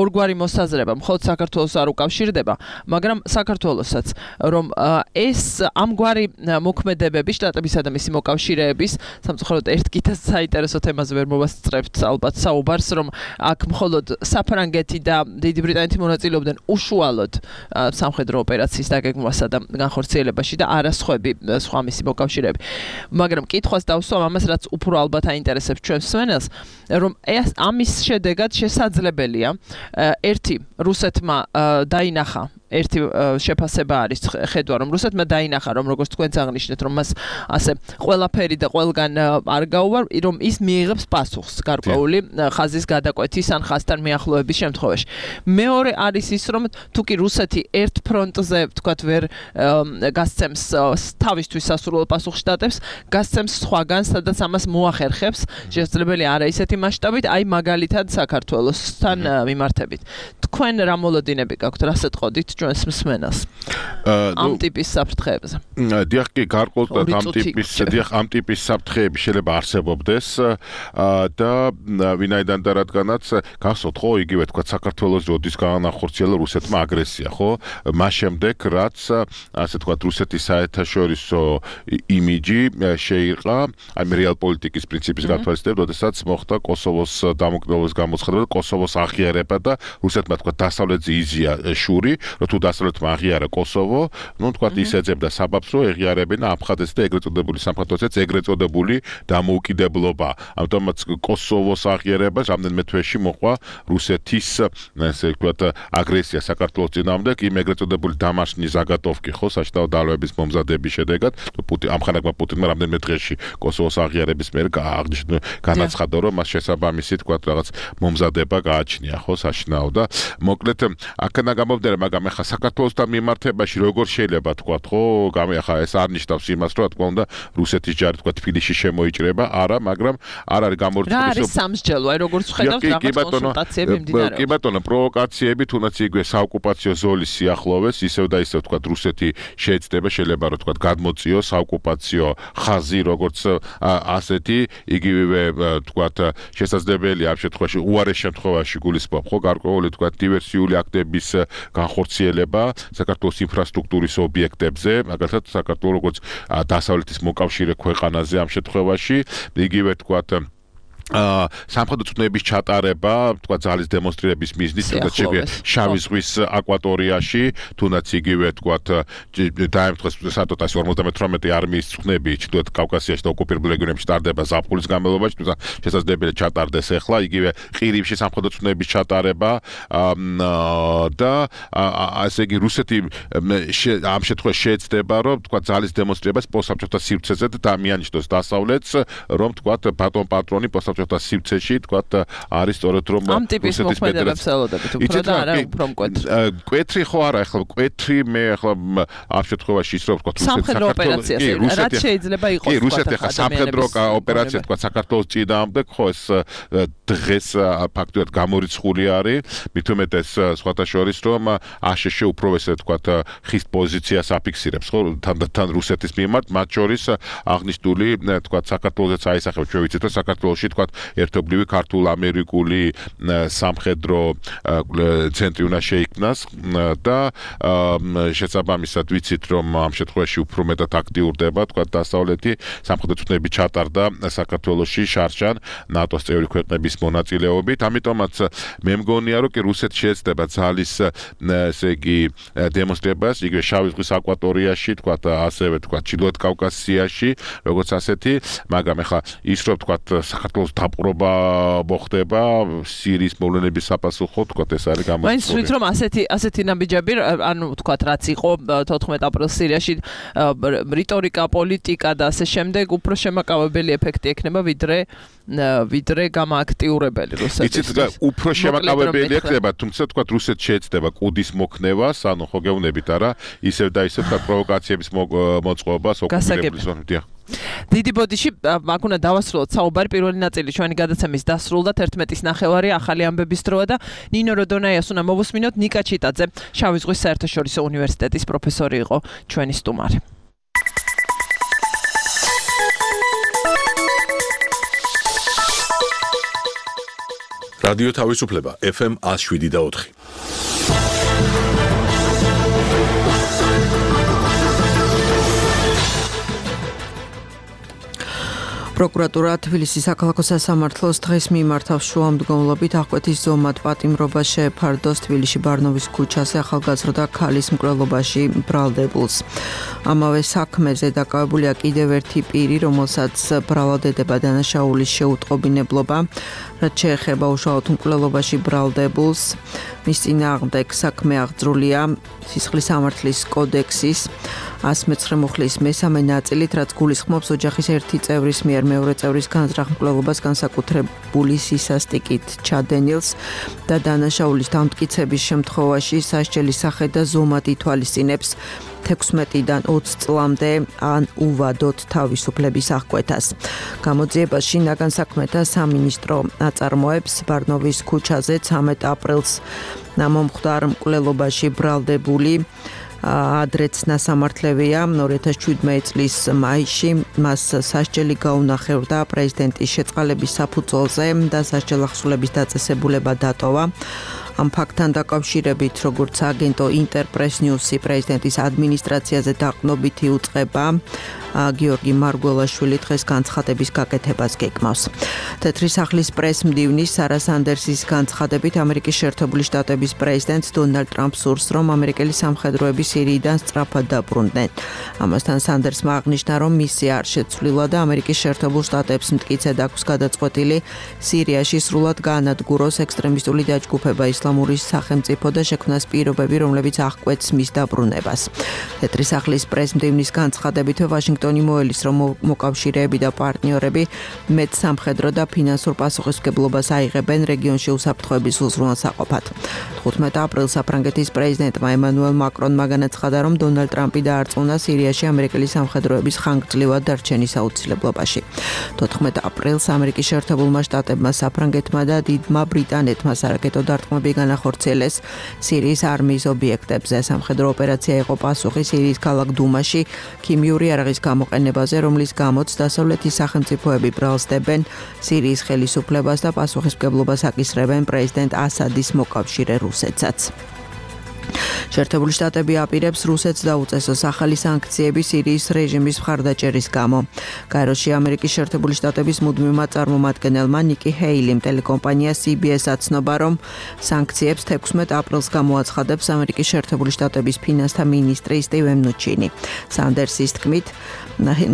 ორგვარი მოსაზრება მხოლოდ საქართველოს არ უკავშირდება მაგრამ საქართველოსაც რომ ეს ამგვარი მოქმედებები შტატებისა და მისი მოკავშირეების სამწუხაროდ ერთ კიდევ საინტერესო თემაზე ვერ მოვასწრებთ ალბათ საუბარს რომ აქ მხოლოდ საფრანგეთი და დიდი ბრიტანეთი მონაწილეობდნენ უშუალოდ სამხედრო ოპერაციის დაგეგმვასა და განხორციელებაში და არასხვები სხვა მისი მოკავშირეები. მაგრამ კითხვას დავსვამ ამას რაც უფრო ალბათ აინტერესებს ჩვენ მსმენელს, რომ ეს ამის შედეგად შესაძლებელია ერთი რუსეთმა დაინახა ერთი შეფასება არის ხედვა რომ რუსეთმა დაინახა რომ როგორც თქვენც აღნიშნეთ რომ მას ასე ყველაფერი და ყველგან არ გაუვარ რომ ის მიიღებს პასუხს გარკვეული ხაზის გადაკვეთის ან ხაზთან მიახლოების შემთხვევაში. მეორე არის ის რომ თუ კი რუსეთი ერთ ფრონტზე თქვათ ვერ გასცემს თავისთვის სასურველ პასუხს შტატებს, გასცემს სხვაგან სადაც ამას მოახერხებს, შესაძლებელია არა ისეთი მასშტაბით, აი მაგალითად საქართველოსთან მიმართებით. თქვენ რა მოლოდინები გაქვთ, რასაც ყვდით ჩვენს მსმენელს ამ ტიპის საფრთხეებზე. დიახ, კი გარკვეულად ამ ტიპის დიახ ამ ტიპის საფრთხეები შეიძლება არსებობდეს და ვინაიდან და რადგანაც გახსოვთ ხო იგივე თქვა საქართველოს როდის განახორციელა რუსეთმა აგრესია, ხო? მას შემდეგ რაც ასე თქვა რუსეთის საერთაშორისო იმიჯი შეირყა აი რეალ პოლიტიკის პრინციპის გათვალისწინებით, როდესაც მოხდა კოსოვოს დამოუკიდებლობის გამოცხადება და კოსოვოს აღიარება და რუსეთმა თქვა დასავლეთზე იზია შური რომ თუ დასავლეთმა აღიარა კოსოვო, ну თქვა ის ეძებდა საბაბს რომ ეღიარებინა აფხაზეთს და ეგრეთ წოდებული სამხატვროსაც ეგრეთ წოდებული დამოუკიდებლობა. ამიტომაც კოსოვოს აღიარებას რამდენიმე თვეში მოყვა რუსეთის ესე ვთქვათ აგრესია საქართველოს წინააღმდეგ, იმ ეგრეთ წოდებული დამაშნი ზაგატოვკი ხო საშტაო დალოების მომზადების შედეგად პუტინ ამხანაგმა პუტინმა რამდენიმე დღეში კოსოვოს აღიარების მერე აღნიშნა განაცხადა რომ მას შესაბამისი თქვათ რაღაც მომზადება გააჩნია ხო საშნაო და მოკლედ აქნა გამომდინარე მაგრამ ახლა საქართველოსთან მიმართებაში როგორ შეიძლება თქვათ ხო გამეხა ეს არ ნიშნავს იმას რომ თქვა უნდა რუსეთის ჯარი თქვა თბილისში შემოიჭრება არა მაგრამ არ არის გამორჩეული რა არის სამსჯელო აი როგორც ხედავთ რაღაც კონსულტაციები მიმდინარეობს. კი ბატონო პროვოკაციები თუნდაც იგივე საოკუპაციო ზოლის სიახლოვეს ისევ და ისევ თქვა რუსეთი შეეცდება შეიძლება რომ თქვა გადმოწიოს საოკუპაციო ხაზი როგორც ასეთი იგივე თქვა შესაძლებელია ამ შემთხვევაში უარეს შემთხვევაში გულისხმობ ხო გარკვეული თქვა დივერსიული აქტების განხორციელება საქართველოს ინფრასტრუქტურის ობიექტებზე, მაგალითად საქართველოს როგორც დასავლეთის მოკავშირე ქვეყანაზე ამ შემთხვევაში, იგივე თქვათ სამხედრო წვნების ჩატარება, თქვა ძალის დემონსტრირების მიზნით, თუნდაც შეგვიძლია შავი ზღვის აკვატორიაში, თუნდაც იგივე თქვა დაემთხეს სატოტას ორმოცდამეთვრამეტი არმიის წვნები ჩრდილოეთ კავკასიაში და ოკუპირებულ რეგიონებში ტარდება ზაფხულის განმავლობაში, თუმცა შესაძლებელია ჩატარდეს ახლა, იგივე ყირიმში სამხედრო წვნების ჩატარება და ასე იგი რუსეთი ამ შემთხვევაში შეეცდება, რომ თქვა ძალის დემონსტრირებას პოსტსაბჭოთა სივრცეზე და დამიანიშნოს დასავლეთს, რომ თქვა ბატონ პატრონი პოსტსაბჭოთა სივრცეში თქვა არის სწორედ რომ ამ ტიპის მოქმედებებს ელოდებით უფრო და არა უფრო მკვეთრი. მკვეთრი ხო არა, ახლა მკვეთრი მე ახლა ამ შემთხვევაში ის რომ თქვა სამხედრო ოპერაცია რაც შეიძლება იყოს. კი, რუსეთი ახლა სამხედრო ოპერაცია თქვა საქართველოს წინააღმდეგ ხო ეს დღეს ფაქტობრივად გამორიცხული არის, მით უმეტეს სხვათა შორის რომ აშშ უფრო ესე თქვა ხის პოზიციას აფიქსირებს ხო თან რუსეთის მიმართ, მათ შორის აღნიშნული თქვა საქართველოსაც აისახებს, ჩვენ ვიცით რომ საქართველოში თქვა ერთობლივი ქართულ-ამერიკული სამხედრო ცენტრი უნდა შეიქმნას და შესაბამისად ვიცით რომ ამ შემთხვევაში უფრო მეტად აქტიურდება თქვა დასავლეთი სამხედრო წვნები ჩატარდა საქართველოში შარშან ნატოს წევრი ქვეყნების მონაწილეობით, ამიტომაც მე მგონია რომ კი რუსეთი შეეცდება ძალის ესე იგი დემონსტრირებას იგივე შავი ზღვის აკვატორიაში თქვა ასევე თქვა ჩრდილოეთ კავკასიაში როგორც ასეთი, მაგრამ ახლა ის რომ თქვა საქართველოს დაპყრობა მოხდება სირიის მოვლენების საპასუხოდ თქვა ეს არის გამოცხადებული. მაინც ვთქვით რომ ასეთი ასეთი ნაბიჯები ანუ თქვა რაც იყო თოთხმეტ აპრილს სირიაში რიტორიკა, პოლიტიკა და ასე შემდეგ უფრო შემაკავებელი ეფექტი ექნება ვიდრე ვიდრე გამააქტიურებელი რუსეთის. იცით უფრო შემაკავებელი ექნება, თუმცა თქვა რუსეთს შეეცდება კუდის მოქნევას, ანუ ხო გეუბნებით არა, ისევ და ისევ თქვა პროვოკაციების მოწყობას ოკუპირებლის ზონებიდან. დიდი ბოდიში აქ უნდა დავასრულოთ საუბარი, პირველი ნაწილი ჩვენი გადაცემის დასრულდა, თერთმეტის ნახევარი ახალი ამბების დროა და ნინო როდონაიას უნდა მოვუსმინოთ. ნიკა ჩიტაძე, შავი ზღვის საერთაშორისო უნივერსიტეტის პროფესორი იყო ჩვენი სტუმარი. რადიო თავისუფლება ეფ ემ one oh seven და four. პროკურატურა თბილისის საქალაქო სასამართლოს დღეს მიმართავს შუამდგომლობით აღკვეთის ზომად პატიმრობა შეეფარდოს თბილისში ბარნოვის ქუჩაზე ახალგაზრდა ქალის მკვლელობაში ბრალდებულს. ამავე საქმეზე დაკავებულია კიდევ ერთი პირი, რომელსაც ბრალდებდება დანაშაულის შეუტყობინებლობა, რაც შეეხება უშუალოდ მკვლელობაში ბრალდებულს. მის წინააღმდეგ საქმე აღძრულია სისხლის სამართლის კოდექსის one oh nine მუხლის მესამე ნაწილით, რაც გულისხმობს ოჯახის ერთი წევრის მიერ მეორე წევრის განზრახ მკვლელობას განსაკუთრებული სისასტიკით ჩადენილს და დანაშაულის დამტკიცების შემთხვევაში სასჯელის სახე და ზომად ითვალისწინებს თექვსმეტიდან ოცი წლამდე ან უვადოთ თავისუფლების აღკვეთას. გამოძიებაში ნაგან საქმეთა სამინისტრო აწარმოებს ბარნოვის ქუჩაზე ცამეტ აპრილს მომხდარ მკვლელობაში ბრალდებული ადრეც ნასამართლევია ორი ათას შვიდმეტი წლის მაისში, მას სასჯელი გაუნახევრდა პრეზიდენტის შეწყალების საფუძველზე და სასჯელ ახსულების დაწესებულება დატოვა. ამ ფაქტთან დაკავშირებით, როგორც აგენტო ინტერპრეს ნიუსი პრეზიდენტის ადმინისტრაციაზე დაყრდნობითი უწყება, გიორგი მარგველაშვილი დღეს განცხადების გაკეთებას გეკმავს. თეთრი სახლის პრეს-მდივნის სარა სანდერსის განცხადებით, ამერიკის შეერთებული შტატების პრეზიდენტ დონალდ ტრამპს სურს, რომ ამერიკელი სამხედროები სირიიდან სწრაფად დაბრუნდნენ. ამასთან სანდერსმა აღნიშნა, რომ მისია არ შეცვლილა და ამერიკის შეერთებულ შტატებს მტკიცედ აქვს გადაწყვეტილი სირიაში სრულად გაანადგუროს ექსტრემისტული დაჯგუფება ისლამური სახელმწიფო და შექმნას პირობები, რომლებიც აღკვეთს მის დაბრუნებას. თეთრი სახლის პრეს-მდივნის განცხადებით, ვაშინგტონი მოელის, რომ მოკავშირეები და პარტნიორები მეტ სამხედრო და ფინანსურ პასუხისმგებლობას აიღებენ რეგიონში უსაფრთხოების უზრუნველსაყოფად. თხუთმეტ აპრილს საფრანგეთის პრეზიდენტმა ემანუელ მაკრონმა განაცხადა, რომ დონალდ ტრამპი დაარწმუნა სირიაში ამერიკელი სამხედროების ხანგრძლივად დარჩენის აუცილებლობაში. თოთხმეტ აპრილს ამერიკის შეერთებულმა შტატებმა, საფრანგეთმა და დიდმა ბრიტანეთმა სარაკეტო დარტყმები განახორციელეს სირიის არმიის ობიექტებზე. სამხედრო ოპერაცია იყო პასუხი სირიის ქალაქ დუმაში ქიმიური იარაღის გამოყენებაზე, რომლის გამოც დასავლეთის სახელმწიფოები ბრალსდებენ სირიის ხელისუფლებას და პასუხისმგებლობას აკისრებენ პრეზიდენტ ასადის მოკავშირე რუსეთსაც. შეერთებული შტატები აპირებს რუსეთს დაუწესოს ახალი სანქციები სირიის რეჟიმის მხარდაჭერის გამო. გაეროში ამერიკის შეერთებული შტატების მუდმივმა წარმომადგენელმა ნიკი ჰეილიმ ტელეკომპანია C B S აცნობა, რომ სანქციებს თექვსმეტ აპრილს გამოაცხადებს ამერიკის შეერთებული შტატების ფინანსთა მინისტრი სტივენ ნუჩინი. სანდერსის თქმით,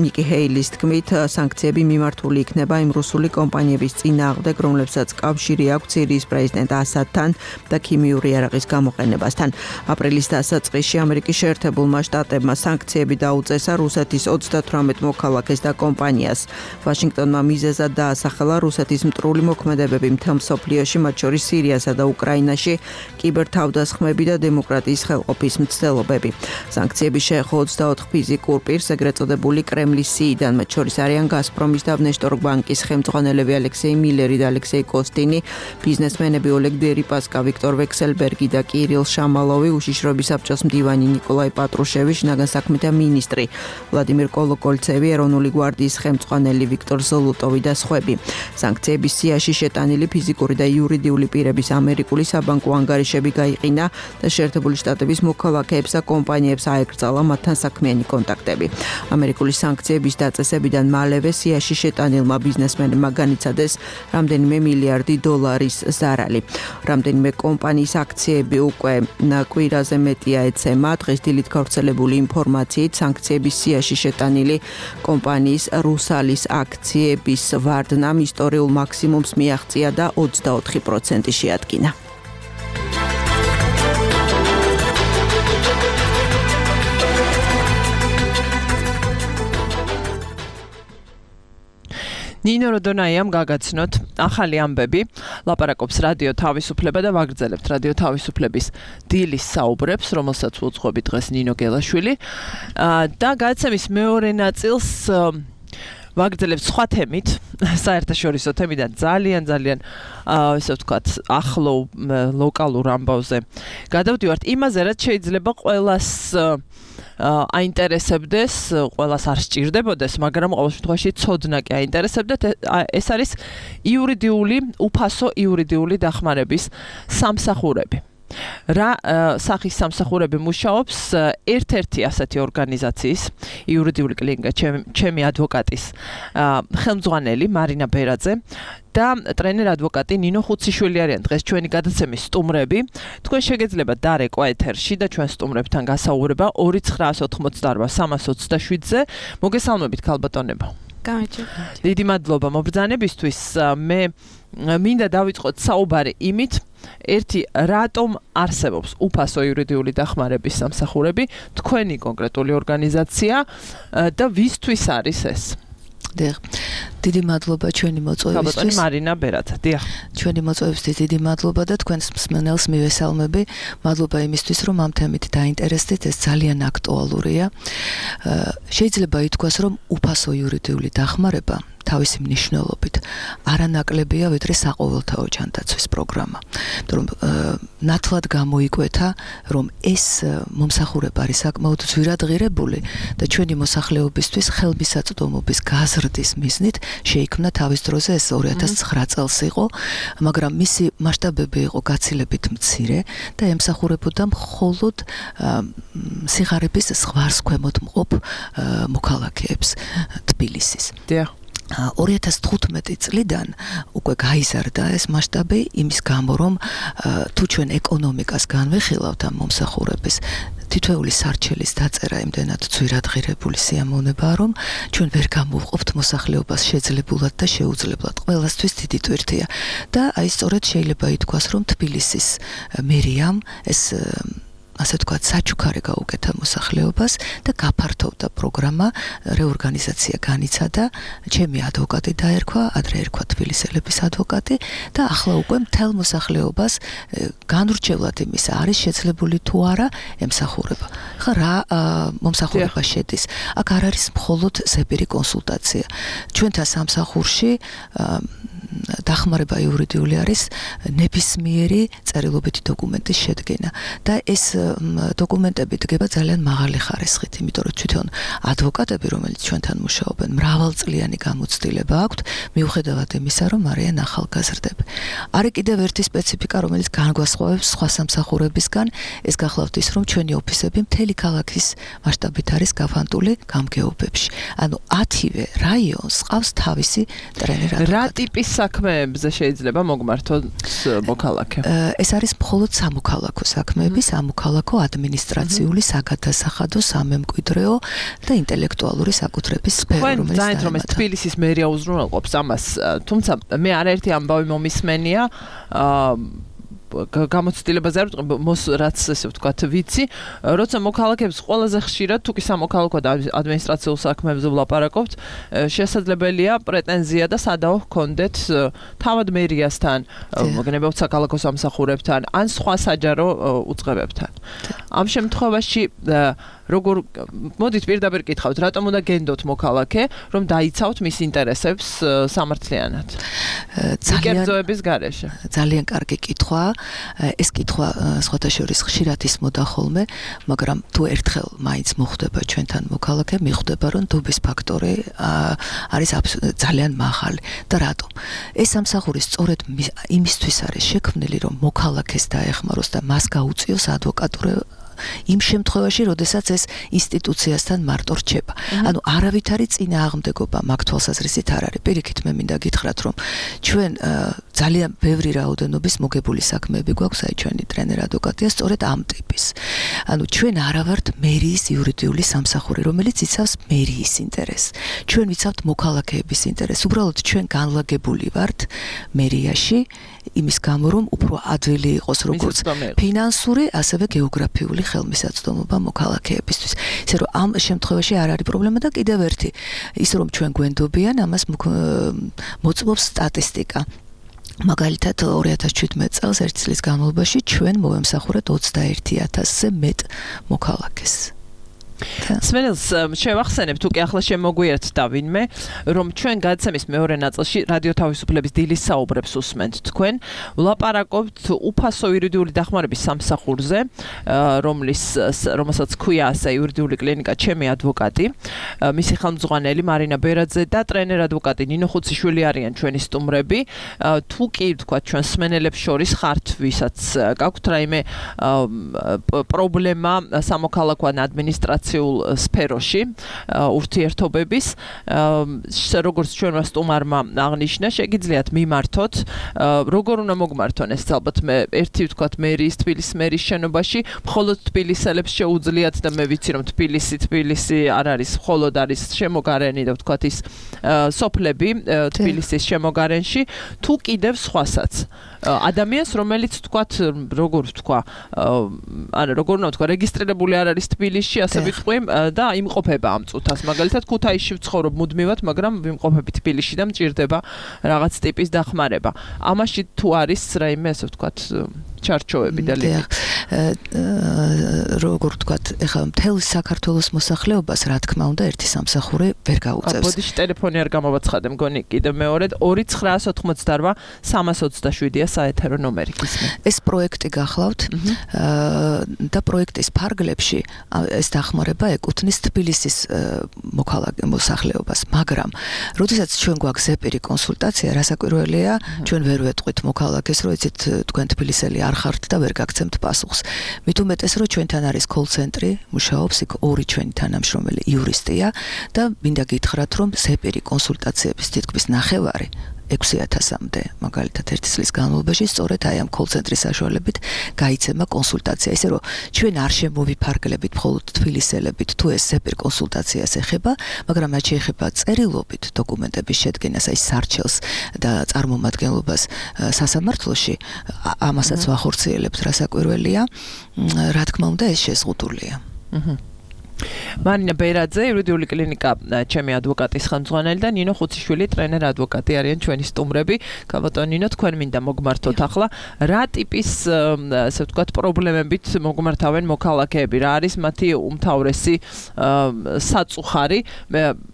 ნიკი ჰეილის თქმით, სანქციები მიმართული იქნება იმ რუსული კომპანიების წინააღმდეგ, რომლებსაც კავშირი აქვს სირიის პრეზიდენტ ასადთან და ქიმიური იარაღის გამოყენებასთან. აპრილის დასაწყისში ამერიკის შეერთებულმა შტატებმა სანქციები დაუწესა რუსეთის ოცდათვრამეტ მოქალაქეს და კომპანიას. ვაშინგტონმა მიზეზად დაასახელა რუსეთის მტრული მოქმედებები მთელ მსოფლიოში, მათ შორის სირიასა და უკრაინაში, კიბერთავდასხმები და დემოკრატიის ხელყოფის მცდელობები. სანქციები შეეხო ოცდაოთხ ფიზიკურ პირს, ეგრეთ წოდებული კრემლის სიიდან, მათ შორის არიან გაზპრომის და ვნეშტორგ ბანკის ხელმძღვანელები ალექსეი მილერი და ალექსეი კოსტინი, ბიზნესმენები ოლეგ დერიპასკა, ვიქტორ ვექსელბერგი და კირილ შამალოვი, უშიშროების საბჭოს მდივანი ნიკოლაი პატრუშევი, შინაგან საქმეთა მინისტრი ვლადიმირ კოლოკოლცევი, ეროვნული გვარდიის ხელმძღვანელი ვიქტორ ზოლოტოვი და სხვები. სანქციების სიაში შეტანილი ფიზიკური და იურიდიული პირების ამერიკული საბანკო ანგარიშები გაიყინა და შეერთებული შტატების მოქალაქეებს და კომპანიებს აეკრძალა მათთან საქმიანი კონტაქტები. ამერიკული სანქციების დაწესებიდან მალევე სიაში შეტანილმა ბიზნესმენებმა განიცადეს რამდენიმე მილიარდი დოლარის ზარალი. რამდენიმე კომპანიის აქციები უკვე კვირაზე მეტია ეცემა. დღეს დილით გავრცელებული ინფორმაციით სანქციების სიაში შეტანილი კომპანიის რუსალის აქციების ვარდნამ ისტორიულ მაქსიმუმს მიაღწია და ოცდაოთხი პროცენტი შეადგინა. ნინო როდონაიამ გაგაცნოთ ახალი ამბები, ლაპარაკობს რადიო თავისუფლება და ვაგრძელებთ რადიო თავისუფლების დილის საუბრებს, რომელსაც უძღვები დღეს ნინო გელაშვილი და გადაცემის მეორე ნაწილს ვაგრძელებთ სხვა თემით, საერთაშორისო თემიდან ძალიან ძალიან ესე ვთქვათ, ახლო ლოკალურ ამბავზე. გადავდივართ იმაზე, რაც შეიძლება ყველას აინტერესებდეს, ყველას არ სჭირდებოდეს, მაგრამ ყოველ შემთხვევაში ცოდნა კი აინტერესებდეთ. ეს არის იურიდიული, უფასო იურიდიული დახმარების სამსახურები. რა სახის სამსახურები მუშაობს ერთ-ერთი ასეთი ორგანიზაციის იურიდიული კლინიკა ჩემი ადვოკატის ხელმძღვანელი მარინა ბერაძე და ტრენერ ადვოკატი ნინო ხუციშვილი არიან დღეს ჩვენი გადაცემის სტუმრები. თქვენ შეგეძლებათ დარეკვა ეთერში და ჩვენ სტუმრებთან გასაუბრება ორი ცხრაას ოთხმოცდაარბა სამას ოცდაშვიდზე. მოგესალმებით ქალბატონებო. გამარჯობა. დიდი მადლობა მობრძანებისთვის. მე მინდა დავიწყოთ საუბარი იმით, ერთი რატომ არსებობს უფასო იურიდიული დახმარების სამსახურები, თქვენი კონკრეტული ორგანიზაცია და ვისთვის არის ეს? დიახ. დიდი მადლობა ჩვენი მოწვევისთვის. ქალბატონი მარინა ბერაძე. დიახ. ჩვენი მოწვევისთვის დიდი მადლობა და თქვენს მსმენელს მივესალმები. მადლობა იმისთვის, რომ ამ თემით დაინტერესდით, ეს ძალიან აქტუალურია. შეიძლება ითქვას, რომ უფასო იურიდიული დახმარება თავისი მნიშვნელობით არანაკლებია, ვიდრე საყოველთაო ჯანდაცვის პროგრამა. იმიტომ რომ ნათლად გამოიკვეთა, რომ ეს მომსახურება არის საკმაოდ ძვირადღირებული და ჩვენი მოსახლეობისთვის ხელმისაწვდომობის გაზრდის მიზნით შეიქმნა თავის დროზე ეს ორი ათას ცხრა წელს იყო, მაგრამ მისი მასშტაბები იყო გაცილებით მცირე და ემსახურებოდა მხოლოდ სიღარიბის ზღვარს ქვემოთ მყოფ მოქალაქეებს თბილისის. დიახ. ორი ათას თხუთმეტი წლიდან უკვე გაიზარდა ეს მასშტაბი იმის გამო, რომ თუ ჩვენ ეკონომიკას განვიხილავთ ამ მომსახურების, თითოეული სარჩელის დაწერა იმდენად ძვირადღირებული სიამოვნებაა, რომ ჩვენ ვერ გამოვყოფთ მოსახლეობას შეძლებულად და შეუძლებლად. ყველასთვის დიდი ტვირთია. და აი სწორედ შეიძლება ითქვას, რომ თბილისის მერიამ ეს ასე ვთქვათ, საჩუქარი გაუკეთა მოსახლეობას და გაფართოვდა პროგრამა, რეორგანიზაცია განიცადა, ჩემი ადვოკატი დაერქვა, ადრე ერქვა თბილისელების ადვოკატი და ახლა უკვე მთელ მოსახლეობას განურჩევლად იმის არის შეძლებული თუ არა ემსახურება. ხა რა მომსახურება შედის? აქ არ არის მხოლოდ ზეპირი კონსულტაცია. ჩვენთან სამსახურში დახმარება იურიდიული არის ნებისმიერი წერილობითი დოკუმენტის შედგენა და ეს დოკუმენტები დგება ძალიან მაღალი ხარისხით, იმიტომ რომ თვითონ ადვოკატები, რომელიც ჩვენთან მუშაობენ, მრავალწლიანი გამოცდილება აქვთ, მიუხედავად იმისა, რომ არიან ახალგაზრდები. არის კიდევ ერთი სპეციფიკა, რომელიც განგვასხვავებს სხვა სამსახურებისგან, ეს გახლავთ ის, რომ ჩვენი ოფისები მთელი ქალაქის მასშტაბით არის გავანტული გამგეობებში. ანუ ათივე რაიონს ყავს თავისი ტრენერი ადვოკატი. რა ტიპის საქმეებზე შეიძლება მოგმართოთ მოქალაქე? ეს არის მხოლოდ სამოქალაქო საქმეები, სამოქალაქო ადმინისტრაციული, საგადასახადო, სამემკვიდრეო და ინტელექტუალური საკუთრების სფერო, რომელიც ძალიან რომ ეს თბილისის მერია უზრუნველყოფს ამას, თუმცა მე არაერთი ამბავი მომისმენია, გამოცდილებაზე არ ვიტყვი, მოს რაც ესე ვთქვათ, ვიცი, როცა მოქალაქეებს ყველაზე ხშირად თუ კი სამოქალაქო და ადმინისტრაციულ საქმეებზე ვლაპარაკობთ, შესაძლებელია პრეტენზია და სადაო ჰქონდეთ თავად მერიასთან, მოგნებებთ საქალაქო სამსახურებთან, ან სხვა საჯარო უწყებებთან. ამ შემთხვევაში როგორ მოდით პირდაპირ კითხავთ, რატომ უნდა გენდოთ მოქალაქე, რომ დაიცავთ მის ინტერესებს სამართლიანად? კერძოების გარეშე. ძალიან კარგი კითხვა. ეს კითხვა სხვათა შორის ხშირად ისმოდა ხოლმე, მაგრამ თუ ერთხელ მაინც მოხვდება ჩვენთან მოქალაქე, მიხვდება, რომ დუბის ფაქტორი არის ძალიან მაღალი. და რატომ? ეს სამსახური სწორედ იმისთვის არის შექმნილი, რომ მოქალაქეს დაეხმაროს და მას გაუწიოს ადვოკატურა იმ შემთხვევაში, როდესაც ეს ინსტიტუციასთან მარტო რჩება. ანუ არავითარი წინააღმდეგობა მაგ თვალსაზრისით არ არის. პირიქით მე მინდა გითხრათ, რომ ჩვენ ძალიან ბევრი რაოდენობის მოგებული საქმეები გვაქვს, აი ჩვენი ტრენერ ადვოკატია სწორედ ამ ტიპის. ანუ ჩვენ არა ვართ მერიის იურიდიული სამსახური, რომელიც იცავს მერიის ინტერესს. ჩვენ ვიცავთ მოქალაქეების ინტერესს. უბრალოდ ჩვენ განლაგებული ვართ მერიაში იმის გამო, რომ უფრო ადვილი იყოს როგორც ფინანსური, ასევე გეოგრაფიული ხელმისაწვდომობა მოქალაქეებისთვის. ისე რომ ამ შემთხვევაში არ არის პრობლემა და კიდევ ერთი, ის რომ ჩვენ გვენდობიან, ამას მოწმობს სტატისტიკა. მაგალითად ორი ათას შვიდმეტ წელს ერთი წლის განმავლობაში ჩვენ მოვემსახურეთ ოცდაერთი ათასზე მეტ მოქალაქეს. სმენელს შევახსენებ, თუ კი ახლა შემოგვიერთდა ვინმე, რომ ჩვენ გადაცემის მეორე ნაწილში რადიო თავისუფლების დილის საუბრებს უსმენთ თქვენ, ვლაპარაკობთ უფასო იურიდიული დახმარების სამსახურზე, რომლის რომელსაც ქვია ასე იურიდიული კლინიკა ჩემი ადვოკატი, მისი ხელმძღვანელი მარინა ბერაძე და ტრენერ ადვოკატი ნინო ხუციშვილი არიან ჩვენი სტუმრები. თუ კი ვთქვათ ჩვენ სმენელებს შორის ხართ, ვისაც გაქვთ რაიმე პრობლემა სამოქალაქო ან ადმინისტრაციულ სფეროში ურთიერთობების, როგორც ჩვენმა სტუმარმა აღნიშნა, შეგიძლიათ მიმართოთ, როგორ უნდა მოგმართონ ეს ალბათ მე ერთი ვთქვათ მერიის თბილისის მერიის შენობაში, მხოლოდ თბილისელებს შეუძლიათ და მე ვიცი რომ თბილისი თბილისი არ არის, მხოლოდ არის შემოგარენი და ვთქვათ ის სოფლები თბილისის შემოგარენში, თუ კიდევ სხვასაც. ადამიანს, რომელიც ვთქვათ, როგორ ვთქვა, ანუ როგორ უნდა ვთქვა, რეგისტრირებული არ არის თბილისში, ასე ვიტყვი და იმყოფება ამ წუთას. მაგალითად, ქუთაისში ვცხოვრობ მუდმივად, მაგრამ ვიმყოფები თბილისში და მჭირდება რაღაც ტიპის დახმარება. ამაში თუ არის რაიმე, ასე ვთქვათ, ჩარჩოები და ლიმიტი. როგორ ვთქვათ, ეხლა მთელ საქართველოს მოსახლეობას, რა თქმა უნდა, ერთი სამსახური ვერ გაუწევს. ბოდიში ტელეფონი არ გამოვაცხადე, მგონი კიდევ მეორედ ორი ცხრაას ოთხმოცდარბა სამას ოცდაშვიდია საეთერო ნომერი. ეს პროექტი გახლავთ და პროექტის ფარგლებში ეს დახმარება ეკუთვნის თბილისის მოქალაქე მოსახლეობას, მაგრამ როდესაც ჩვენ გვაქვს ზეპირი კონსულტაცია, რასაკვირველია, ჩვენ ვერ ვეტყვით მოქალაქეს, რომ იცით თქვენ თბილისელი არ ხართ და ვერ გაგცემთ პასუხს. მით უმეტეს, რომ ჩვენთან არის კოლ-ცენტრი, მუშაობს იქ ორი ჩვენი თანამშრომელი იურისტია და მინდა გითხრათ, რომ ზეპირი კონსულტაციების თითქმის ნახევარი ექვსი ათასამდე, მაგალითად ერთი წლის განმავლობაში სწორედ აი ამ კოლ-ცენტრის საშუალებით გაიცემა კონსულტაცია. ისე რომ ჩვენ არ შემოვიფარგლებით მხოლოდ თბილისელებით, თუ ეს ზეპირ კონსულტაციას ეხება, მაგრამ რაც შეეხება წერილობით დოკუმენტების შედგენას, აი სარჩელს და წარმომადგენლობას სასამართლოში, ამასაც ვახორციელებთ, რასაკვირველია, რა თქმა უნდა ეს შეზღუდულია. მარინა ბერაძე, იურიდიული კლინიკა, ჩემი ადვოკატის ხელმძღვანელი და ნინო ხუციშვილი, ტრენერ ადვოკატი არიან ჩვენი სტუმრები. ქალბატონ ნინო, თქვენ მინდა მოგმართოთ ახლა, რა ტიპის, ასე ვთქვათ, პრობლემებით მოგმართავენ მოქალაქეები, რა არის მათი უმთავრესი საწუხარი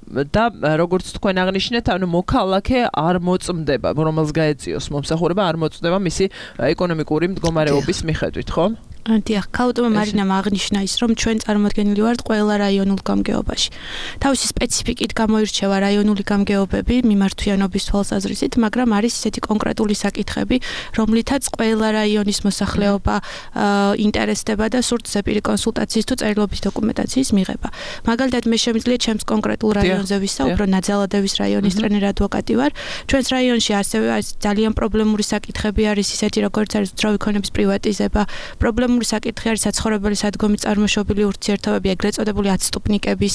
და როგორც თქვენ აღნიშნეთ, ანუ მოქალაქე არ მოწმდება, რომელს გაეწიოს მომსახურება, არ მოწმდება მისი ეკონომიკური მდგომარეობის მიხედვით, ხო? დიახ, ქალბატონმა მარინამ აღნიშნა ის, რომ ჩვენ წარმოადგენილი ვართ ყველა რაიონულ გამგეობაში. თავისი სპეციფიკით გამოირჩევა რაიონული გამგეობები მიმართვიანობის თვალსაზრისით, მაგრამ არის ისეთი კონკრეტული საკითხები, რომლითაც ყველა რაიონის მოსახლეობა ინტერესდება და სურთ ზეპირი კონსულტაციის თუ წერილობის დოკუმენტაციის მიღება. მაგალითად, მე შემიძლია ჩემს კონკრეტულ რაიონზე ვისაუბრო, ნაძალადევის რაიონის ტრენერ ადვოკატი ვარ. ჩვენს რაიონში ასევე ძალიან პრობლემური საკითხები არის ისეთი, როგორც არის უძრავი ქონების პრივატიზება, პრობლემური საკითხი არის საცხოვრებელი სადგომის წარმოშობილი ურთიერთობები, ეგრეთ წოდებული ათსტუფნიკების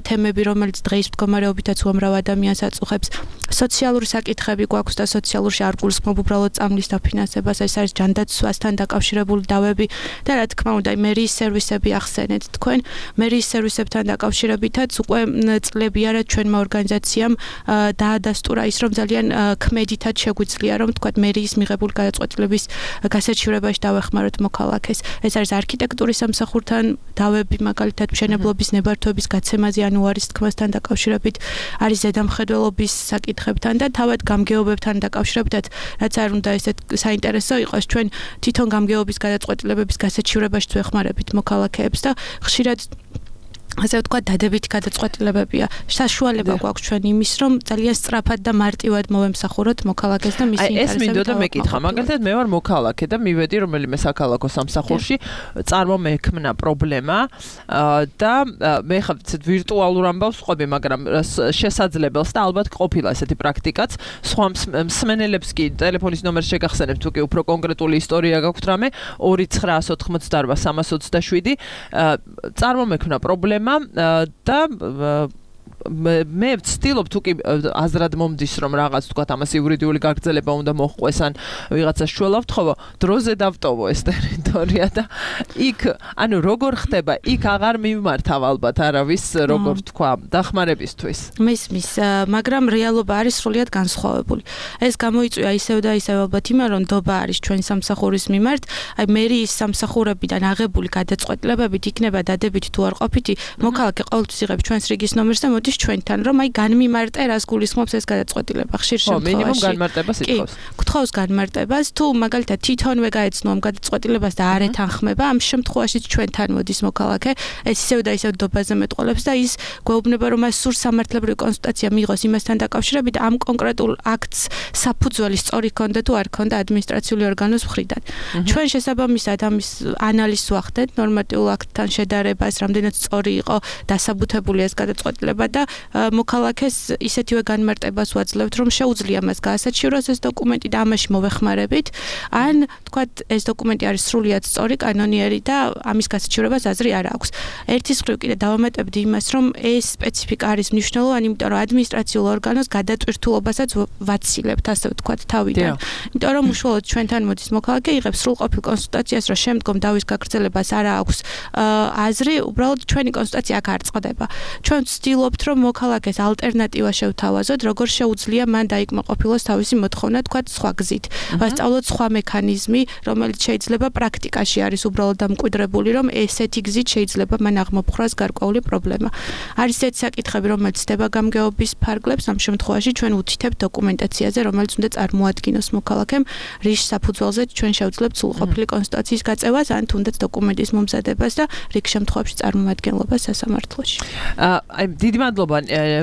თემები, რომელიც დღეის მდგომარეობითაც უამრავ ადამიანს აწუხებს. სოციალური საკითხები გვაქვს და სოციალურში არ გულისხმობ უბრალოდ წამლის დაფინანსებას, ეს არის ჯანდაცვასთან დაკავშირებული დავები და რა თქმა უნდა, მერიის სერვისები ახსენეთ თქვენ. მერიის სერვისებთან დაკავშირებითაც უკვე წლები არა ჩვენმა ორგანიზაციამ დაადასტურა ის, რომ ძალიან ქმედითად შეგვიძლია, რომ თქვა მერიის მიღებული გადაწყვეტილების გასაჩივრებაში დავეხმაროთ მოქალაქეს. ეს არის არქიტექტურის სამსახურთან დავები, მაგალითად მშენებლობის ნებართვების გაცემაზე ანუარის თქმასთან დაკავშირებით, არის ზედამხედველობის საკითხებთან და თავად გამგეობებთან დაკავშირებითაც, რაც არ უნდა ესეთ საინტერესო იყოს, ჩვენ თვითონ გამგეობის გადაწყვეტილებების გასაჩივრებაში ვეხმარებით მოქალაქეებს და ხშირად ასე ვთქვათ, დადებითი გადაწყვეტილებებია. საშუალება გვაქვს ჩვენ იმის, რომ ძალიან სწრაფად და მარტივად მოვემსახუროთ მოქალაქეს და მისი ინტერესებით. ეს მინდოდა მეკითხა, მაგალითად მე ვარ მოქალაქე და მივედი რომელიმე საქალაქო სამსახურში, წარმომექმნა პრობლემა და მე ხა ვირტუალურ ამბავს ვყვები, მაგრამ შესაძლებელს და ალბათ ყოფილა ესეთი პრაქტიკაც. სხვა მსმენელებს კი ტელეფონის ნომერს შეგახსენებთ, თუ კი უფრო კონკრეტული ისტორია გაქვთ რამე ორი ცხრაას ოთხმოცდაარბა სამას ოცდაშვიდი წარმომექმნა პრობლემა და მე ვცდილობ თუ კი აზრად მომდის რომ რაღაც თქვა ამას იურიდიული გაგრძელება უნდა მოხდეს ან ვიღაცას შველავთ ხო დროზე დავტოვო ეს ტერიტორია და იქ ანუ როგორ ხდება იქ აღარ მიმართავ ალბათ არავის როგორ თქვა დახმარებისთვის მისმის მაგრამ რეალობა არის სრულიად განსხვავებული ეს გამოიწვია ისევ და ისევ ალბათ იმან რომ დობა არის ჩვენი სამსახურის მიმართ აი მერიის სამსახურებიდან აღებული გადაწყვეტილებებით იქნება დადებითი თუ არ ყოფითი მოქალაქე ყოველთვის იღებს ჩვენს რიგის ნომერს და მოდის ჩვენთან რომ აი განმიმარტე რას გულისხმობს ეს გადაწყვეტილება ხშირ შემთხვევაში. ხო, მინიმუმ განმარტებას ითხოვს. გთხოვს განმარტებას, თუ მაგალითად თვითონვე გაეცნო ამ გადაწყვეტილებას და არ ეთანხმება, ამ შემთხვევაშიც ჩვენთან მოდის მოქალაქე, ეს ისევ და ისევ დობაზე მეტყოლებს და ის გვეუბნება რომ მას სურს სამართლებრივი კონსულტაცია მიიღოს იმასთან დაკავშირებით ამ კონკრეტულ აქტს საფუძველი სწორი ქონდა თუ არ ქონდა ადმინისტრაციული ორგანოს მხრიდან. ჩვენ შესაბამისად ამის ანალიზს ვახდეთ ნორმატიულ აქტთან შედარებას, რამდენად სწორი იყო დასაბუთებული ეს გადაწყვეტილება და მოქალაქეს ისეთივე განმარტებას ვაძლევთ, რომ შეუძლია მას გაასაჩივროს ეს დოკუმენტი და ამაში მოვეხმარებით, ან თქვათ ეს დოკუმენტი არის სრულიად სწორი, კანონიერი და ამის გასაჩივრებას აზრი არ აქვს. ერთის მხრივ კიდე დავამატებდი იმას, რომ ეს სპეციფიკა არის მნიშვნელოვანი, იმიტომ რომ ადმინისტრაციულ ორგანოს გადატვირთულობასაც ვაცილებთ, ასე ვთქვათ, თავიდან. იმიტომ რომ უშუალოდ ჩვენთან მოდის მოქალაქე, იღებს სრულყოფილ კონსულტაციას, რომ შემდგომ დავის გაგრძელებას არ აქვს აზრი, უბრალოდ ჩვენი კონსულტაცია აქ არ წყდება. ჩვენ ვცდილობთ რომ მოქალაქეს ალტერნატივა შევთავაზოთ, როგორ შეუძლია მან დაიკმაყოფილოს თავისი მოთხოვნა, თქვათ, სხვა გზით. ვასწავლოთ სხვა მექანიზმი, რომელიც შეიძლება პრაქტიკაში არის უბრალოდ დამკვიდრებული, რომ ესეთი გზით შეიძლება მან აღმოფხრას გარკვეული პრობლემა. არის ესეთი საკითხები, რომელიც ხდება გამგეობის ფარგლებს, ამ შემთხვევაში ჩვენ უთითებთ დოკუმენტაციაზე, რომელიც უნდა წარმოადგინოს მოქალაქემ, რის საფუძველზე ჩვენ შევძლებთ სრულყოფილი კონსულტაციის გაწევას, ან თუნდაც დოკუმენტის მომზადებას და რიგ შემთხვევებში წარმომადგენლობას სასამართლოში. აი დიდი მადლობა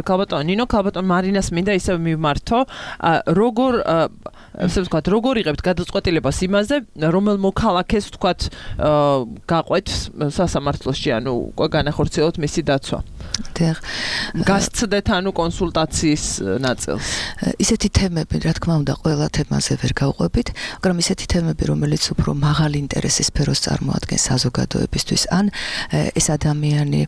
ქალბატონ ნინო, ქალბატონ მარინას მინდა ისევ მიმართო, როგორ ასე ვთქვათ, როგორ იღებთ გადაწყვეტილებას იმაზე, რომელ მოქალაქეს ვთქვათ გაყვეთ სასამართლოში, ანუ უკვე განახორციელოთ მისი დაცვა. დიახ. გასცდეთ ანუ კონსულტაციის ნაწილს. ისეთი თემები, რა თქმა უნდა, ყველა თემაზე ვერ გავყვებით, მაგრამ ისეთი თემები, რომელიც უფრო მაღალი ინტერესის სფეროს წარმოადგენს საზოგადოებისთვის, ან ეს ადამიანი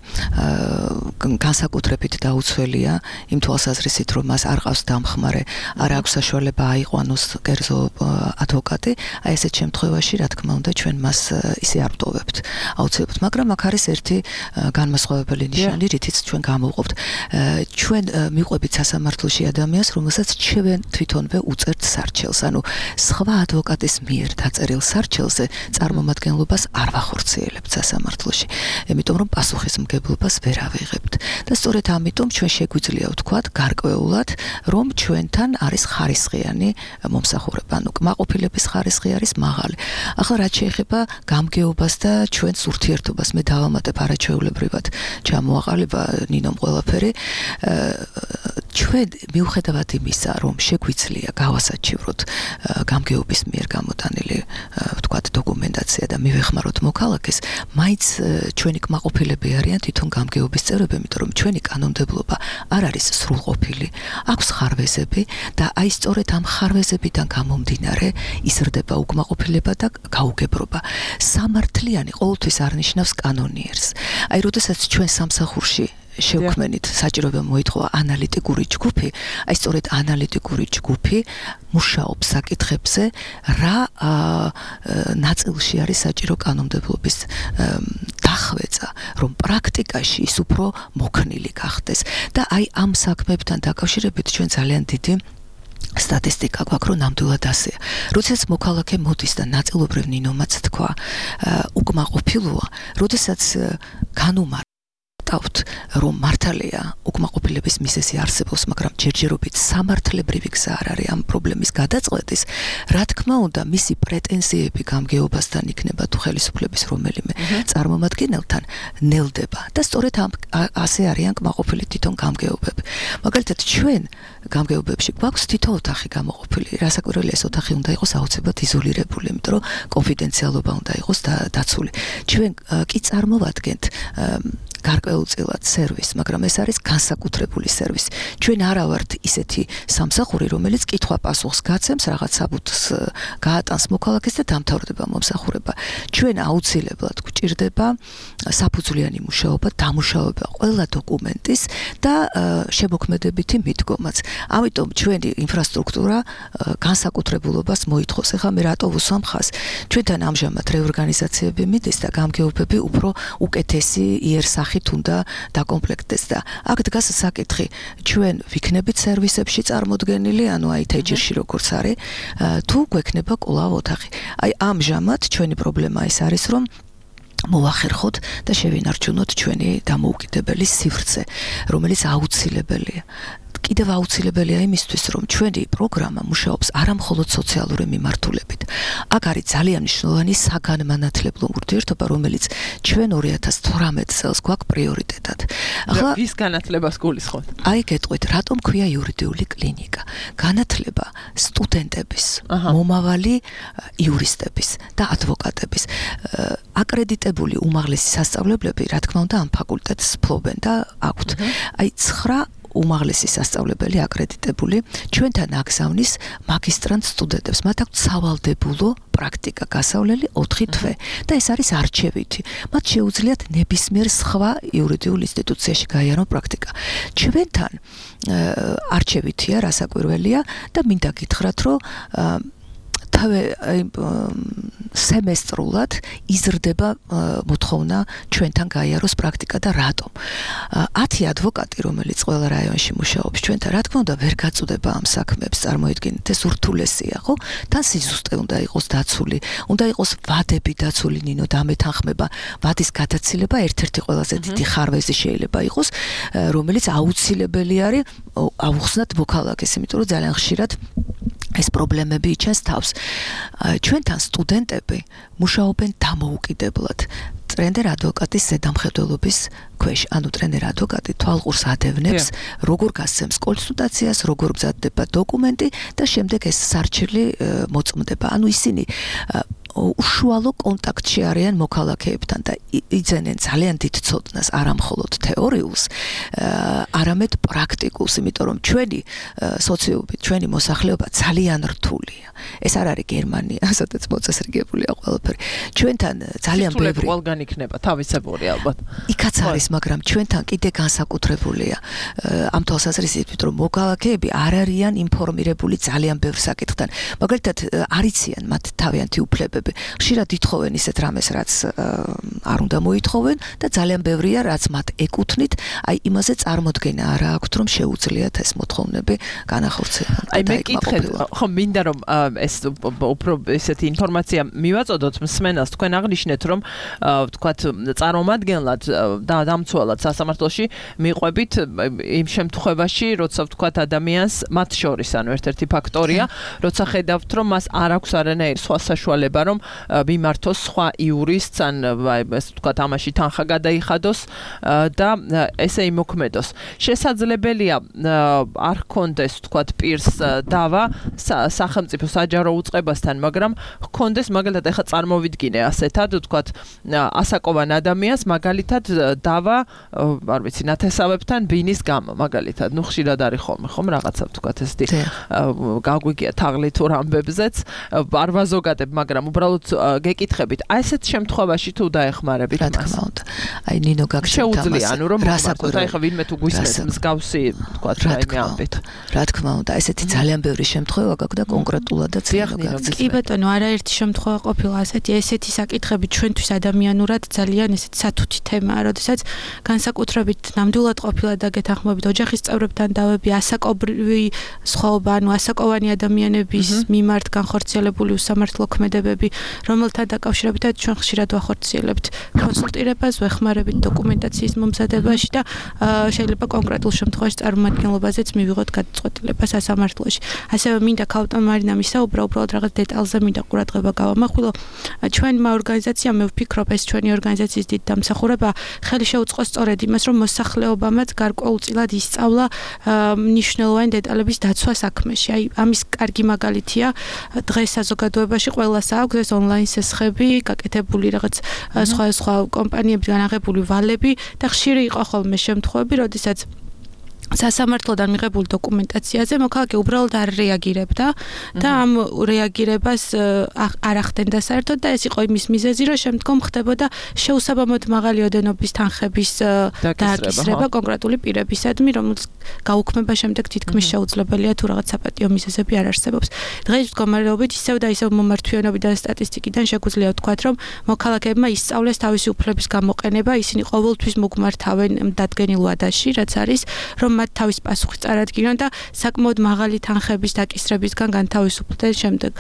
განსაკუთრებით დაუცველია იმ თვალსაზრისით, რომ მას არ ყავს დამხმარე, არ აქვს საშუალება აიყვანოს კერძო ადვოკატი, აი ესეთ შემთხვევაში, რა თქმა უნდა, ჩვენ მას ისე არ ვტოვებთ. აუცილებლად, მაგრამ აქ არის ერთი განმასხვავებელი ნიშანი, რითიც ჩვენ გამოვყოფთ. ჩვენ მიყვებით სასამართლოში ადამიანს, რომელსაც ჩვენ თვითონვე უწერთ სარჩელს, ანუ სხვა ადვოკატის მიერ დაწერილ სარჩელზე წარმომადგენლობას არ ვახორციელებთ სასამართლოში, იმიტომ რომ პასუხისმგებლობას ვერ ავიღებთ. და სწორედ ამიტომ ჩვენ შეგვიძლია ვთქვათ გარკვეულად, რომ ჩვენთან არის ხარისხიანი მომსახურება, ანუ კმაყოფილების ხარისხი არის მაღალი. ახლა რაც შეეხება გამგეობას და ჩვენს ურთიერთობას, მე დავამატებ არაჩვეულებრივად ჩამოაყალიბა ნინომ ყველაფერი. ჩვენ მიუხედავად იმისა, რომ შეგვიძლია გავასაჩივროთ გამგეობის მიერ გამოტანილი ვთქვათ დოკუმენტაცია და მივეხმაროთ მოქალაქეს, მაინც ჩვენი კმაყოფილები არიან თვითონ გამგეობის წევრები, იმიტომ რომ ჩვენი კანონმდებლობა არ არის სრულყოფილი. აქვს ხარვეზები და აი სწორედ ამ ხარვეზებიდან გამომდინარე იზრდება უკმაყოფილება და გაუგებრობა. სამართლიანი ყოველთვის არნიშნავს კანონიერს. აი, როდესაც ჩვენ სამსახურში შევქმნით საჭიროება მოითხოვა ანალიტიკური ჯგუფი, აი სწორედ ანალიტიკური ჯგუფი მუშაობს საკითხებზე, რა ნაწილში არის საჭირო კანონმდებლობის დახვეწა, რომ პრაქტიკაში ის უფრო მოქნილი გახდეს. და აი ამ საქმეებთან დაკავშირებით ჩვენ ძალიან დიდი სტატისტიკა გვაქვს, რომ ნამდვილად ასეა. როდესაც მოქალაქე მოდის და ნაწილობრივ ნინომაც თქვა, უკმაყოფილოა, როდესაც განუმარ რომ მართალია უკმაყოფილების მიზეზი არსებობს, მაგრამ ჯერჯერობით სამართლებრივი გზა არ არის ამ პრობლემის გადაწყვეტის, რა თქმა უნდა, მისი პრეტენზიები გამგეობასთან იქნება თუ ხელისუფლების რომელიმე წარმომადგენელთან ნელდება და სწორედ ასე არიან კმაყოფილი თვითონ გამგეობები. მაგალითად, ჩვენ გამგეობებში გვაქვს თითო ოთახი გამოყოფილი. რასაკვირველია, ეს ოთახი უნდა იყოს აუცილებლად იზოლირებული, იმიტომ რომ კონფიდენციალობა უნდა იყოს დაცული. ჩვენ კი წარმოვადგენთ გარკვეულწილად სერვისი, მაგრამ ეს არის განსაკუთრებული სერვისი. ჩვენ არა ვართ ისეთი სამსახური, რომელიც კითხვა-პასუხს გაცემს, რაღაც საბუთს გაატანს მოქალაქეს და დამთავრდება მომსახურება. ჩვენ აუცილებლად გვჭირდება საფუძვლიანი მუშაობა, დამუშავება ყველა დოკუმენტის და შემოქმედებითი მიდგომაც. ამიტომ ჩვენი ინფრასტრუქტურა განსაკუთრებულობას მოითხოვს. ეხლა მე რატო ვუსვამ ხაზს? ჩვენთან ამჟამად რეორგანიზაციები მიდის და გამგეობები უფრო უკეთესი იერსახით უნდა დაკომპლექტდეს და აქ დგას საკითხი, ჩვენ ვიქნებით სერვისებში წარმოდგენილი, ანუ აი თეჯირში როგორც არის, თუ გვექნება კვლავ ოთახი. აი ამჟამად ჩვენი პრობლემა ეს არის, რომ მოვახერხოთ და შევინარჩუნოთ ჩვენი დამოუკიდებელი სივრცე, რომელიც აუცილებელია. კიდევ აუცილებელია იმისთვის, რომ ჩვენი პროგრამა მუშაობს არა მხოლოდ სოციალური მიმართულებით. აქ არის ძალიან მნიშვნელოვანი საგანმანათლებლო ურთიერთობა, რომელიც ჩვენ ორი ათას თვრამეტ წელს გვაქვს პრიორიტეტად. ახლა ვის განათლებას გულისხმობთ? აი გეტყვით, რატომ ქვია იურიდიული კლინიკა? განათლება სტუდენტების, მომავალი იურისტების და ადვოკატების. აკრედიტებული უმაღლესი სასწავლებლები, რა თქმა უნდა, ამ ფაკულტეტს ფლობენ და აქვთ. აი ცხრა უმაღლესი სასწავლებელი აკრედიტებული ჩვენთან აგზავნის მაგისტრანტ სტუდენტებს, მათ აქვს სავალდებულო პრაქტიკა გასავლელი ოთხი თვე და ეს არის არჩევითი. მათ შეუძლიათ ნებისმიერ სხვა იურიდიულ ინსტიტუციაში გაიარონ პრაქტიკა. ჩვენთან არჩევითია, რასაკვირველია და მინდა გითხრათ, რომ თავე სემესტრულად იზრდება მოთხოვნა ჩვენთან გაიაროს პრაქტიკა და რატომ? ათი ადვოკატი, რომელიც ყველა რაიონში მუშაობს ჩვენთან, რა თქმა უნდა, ვერ გაწუდება ამ საქმეებს, წარმოიდგინეთ, ეს ურთულესია, ხო? თან სიზუსტე უნდა იყოს დაცული, უნდა იყოს ვადები დაცული, ნინო, დამეთანხმება, ვადის გადაცილება ერთ-ერთი ყველაზე დიდი ხარვეზი შეიძლება იყოს, რომელიც აუცილებელი არის ავუხსნათ მოქალაქეს, იმიტომ რომ ძალიან ხშირად ეს პრობლემები იჩენს თავს. ჩვენთან სტუდენტები მუშაობენ დამოუკიდებლად. ტრენერ ადვოკატის ზედამხედველობის ქვეშ, ანუ ტრენერ ადვოკატი თვალყურს ადევნებს, როგორ გასცემს კონსულტაციას, როგორ მზადდება დოკუმენტი და შემდეგ ეს სარჩელი მოწმდება. ანუ ისინი უშუალო კონტაქტში არიან მოქალაქეებთან და იძენენ ძალიან დიდ ცოდნას არა მხოლოდ თეორიულს, არამედ პრაქტიკულს, იმიტომ რომ ჩვენი სოციუმი, ჩვენი მოსახლეობა ძალიან რთულია. ეს არ არის გერმანია, სადაც მოწესრიგებულია ყველაფერი. ჩვენთან ძალიან ბევრი ყველგან იქნება თავისებური ალბათ. იქაც არის, მაგრამ ჩვენთან კიდე განსაკუთრებულია ამ თვალსაზრისით, რომ მოქალაქეები არ არიან ინფორმირებული ძალიან ბევრ საკითხთან. მაგალითად, არ იციან მათ თავიანთი უფლებები. ხშირად ითხოვენ ისეთ რამეს, რაც არ უნდა მოითხოვენ და ძალიან ბევრია, რაც მათ ეკუთვნით, აი იმაზე წარმოდგენა არ აქვთ, რომ შეუძლიათ ეს მოთხოვნები განახორციელონ. აი მე კითხეთ, ხო მინდა რომ ეს უფრო ესეთი ინფორმაცია მივაწოდოთ მსმენელს, თქვენ აღნიშნეთ, რომ ვთქვათ წარმომადგენლად და დამცველად სასამართლოში მიყვებით იმ შემთხვევაში, როცა ვთქვათ ადამიანს მათ შორის, ანუ ერთ-ერთი ფაქტორია, როცა ხედავთ, რომ მას არ აქვს არანაირი სხვა საშუალება, რომ მიმართოს სხვა იურისტს, ან ეს ვთქვათ ამაში თანხა გადაიხადოს და ესე იმოქმედოს. შესაძლებელია არ ჰქონდეს ვთქვათ პირს დავა სახელმწიფო საჯარო უწყებასთან, მაგრამ ჰქონდეს მაგალითად ეხა წარმოვიდგინე ასეთად ვთქვათ ასაკოვან ადამიანს მაგალითად დავა არ ვიცი ნათესავებთან ბინის გამო მაგალითად, ნუ ხშირად არის ხოლმე ხომ რაღაცა ვთქვათ ესეთი გაგვიგია თაღლით თუ რამბებზეც არ ვაზოგადებ, მაგრამ უბრალოდ გეკითხებით, აი ესეთ შემთხვევაში თუ დაეხმარებით მას. რა თქმა უნდა. აი ნინო გაგჩნდა შეუძლია, ანუ რომ აი ხა ვინმე თუ გვისმენს მსგავსი ვთქვათ რაიმე ამბით. რა თქმა უნდა, ესეთი ძალიან ბევრი შემთხვევა გაქვს და კონკრეტულადაც გაგზავნა. კი ბატონო, არაერთი შემთხვევა ყოფილა ასეთი, ესეთი საკითხები ჩვენთვის ადამიანურად ძალიან ესეთი სათუთი თემაა, როდესაც განსაკუთრებით ნამდვილად ყოფილა და გეთანხმებით ოჯახის წევრებთან დავები, ასაკობრივი სხვაობა, ანუ ასაკოვანი ადამიანების მიმართ განხორციელებული უსამართლო ქმედებები, რომელთა დაკავშირებითაც ჩვენ ხშირად ვახორციელებთ კონსულტირებას, ვეხმარებით დოკუმენტაციის მომზადებაში და შეიძლება კონკრეტულ შემთხვევაში წარმომადგენლობაზეც მივიღოთ გადაწყვეტილება სასამართლოში. ასევე მინდა ქალბატონ მარინამ ისაუბრა, უბრალოდ რაღაც დეტალზე მინდა ყურადღება გავამახვილო. ჩვენმა ორგანიზაციამ, მე ვფიქრობ, ეს ჩვენი ორგანიზაციის დიდ დამსახურება ხელი შეუწყო სწორედ იმას, რომ მოსახლეობამაც გარკვეულწილად ისწავლა მნიშვნელოვანი დეტალების დაცვა საქმეში. აი ამის კარგი მაგალითია, დღეს საზოგადოებაში ყველას აქვს ეს ონლაინ სესხები, გაკეთებული რაღაც სხვა სხვა კომპანიებიდან აღებული ვალები და ხშირი იყო ხოლმე შემთხვევები, როდესაც სასამართლოდან მიღებულ დოკუმენტაციაზე მოქალაქე უბრალოდ არ რეაგირებდა და ამ რეაგირებას არ ახდენდა საერთოდ და ეს იყო იმის მიზეზი, რომ შემდგომ ხდებოდა შეუსაბამოდ მაღალი ოდენობის თანხების დააკისრება კონკრეტული პირებისადმი, რომელს გაუქმება შემდეგ თითქმის შეუძლებელია თუ რაღაც საპატიო მიზეზები არ არსებობს. დღეს მდგომარეობით ისევ და ისევ მომართვიანობიდან სტატისტიკიდან შეგვიძლია ვთქვათ, რომ მოქალაქეებმა ისწავლეს თავისი უფლების გამოყენება, ისინი ყოველთვის მოგმართავენ დადგენილ ვადაში, რაც არის, რომ მათ თავის პასუხი წარადგინონ და საკმაოდ მაღალი თანხების დაკისრებისგან განთავისუფლდნენ შემდეგ.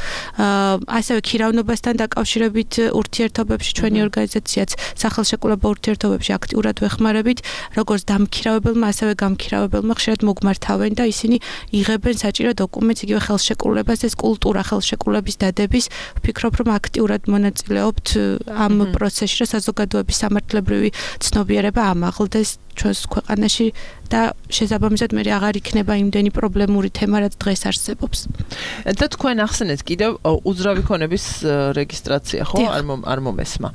ასევე ქირავნობასთან დაკავშირებით ურთიერთობებში ჩვენი ორგანიზაციაც სახელშეკრულებო ურთიერთობებში აქტიურად ვეხმარებით, როგორც დამქირავებელმა, ასევე გამქირავებელმა ხშირად მოგმართავენ და ისინი იღებენ საჭირო დოკუმენტს, იგივე ხელშეკრულებას, ეს კულტურა ხელშეკრულების დადების, ვფიქრობ, რომ აქტიურად მონაწილეობთ ამ პროცესში, რომ საზოგადოების სამართლებრივი ცნობიერება ამაღლდეს ჩვენს ქვეყანაში და შესაბამისად მე აღარ იქნება იმდენი პრობლემური თემა, რაც დღეს არსებობს. და თქვენ ახსენეთ კიდევ უძრავი ქონების რეგისტრაცია, ხო? არ მომესმა.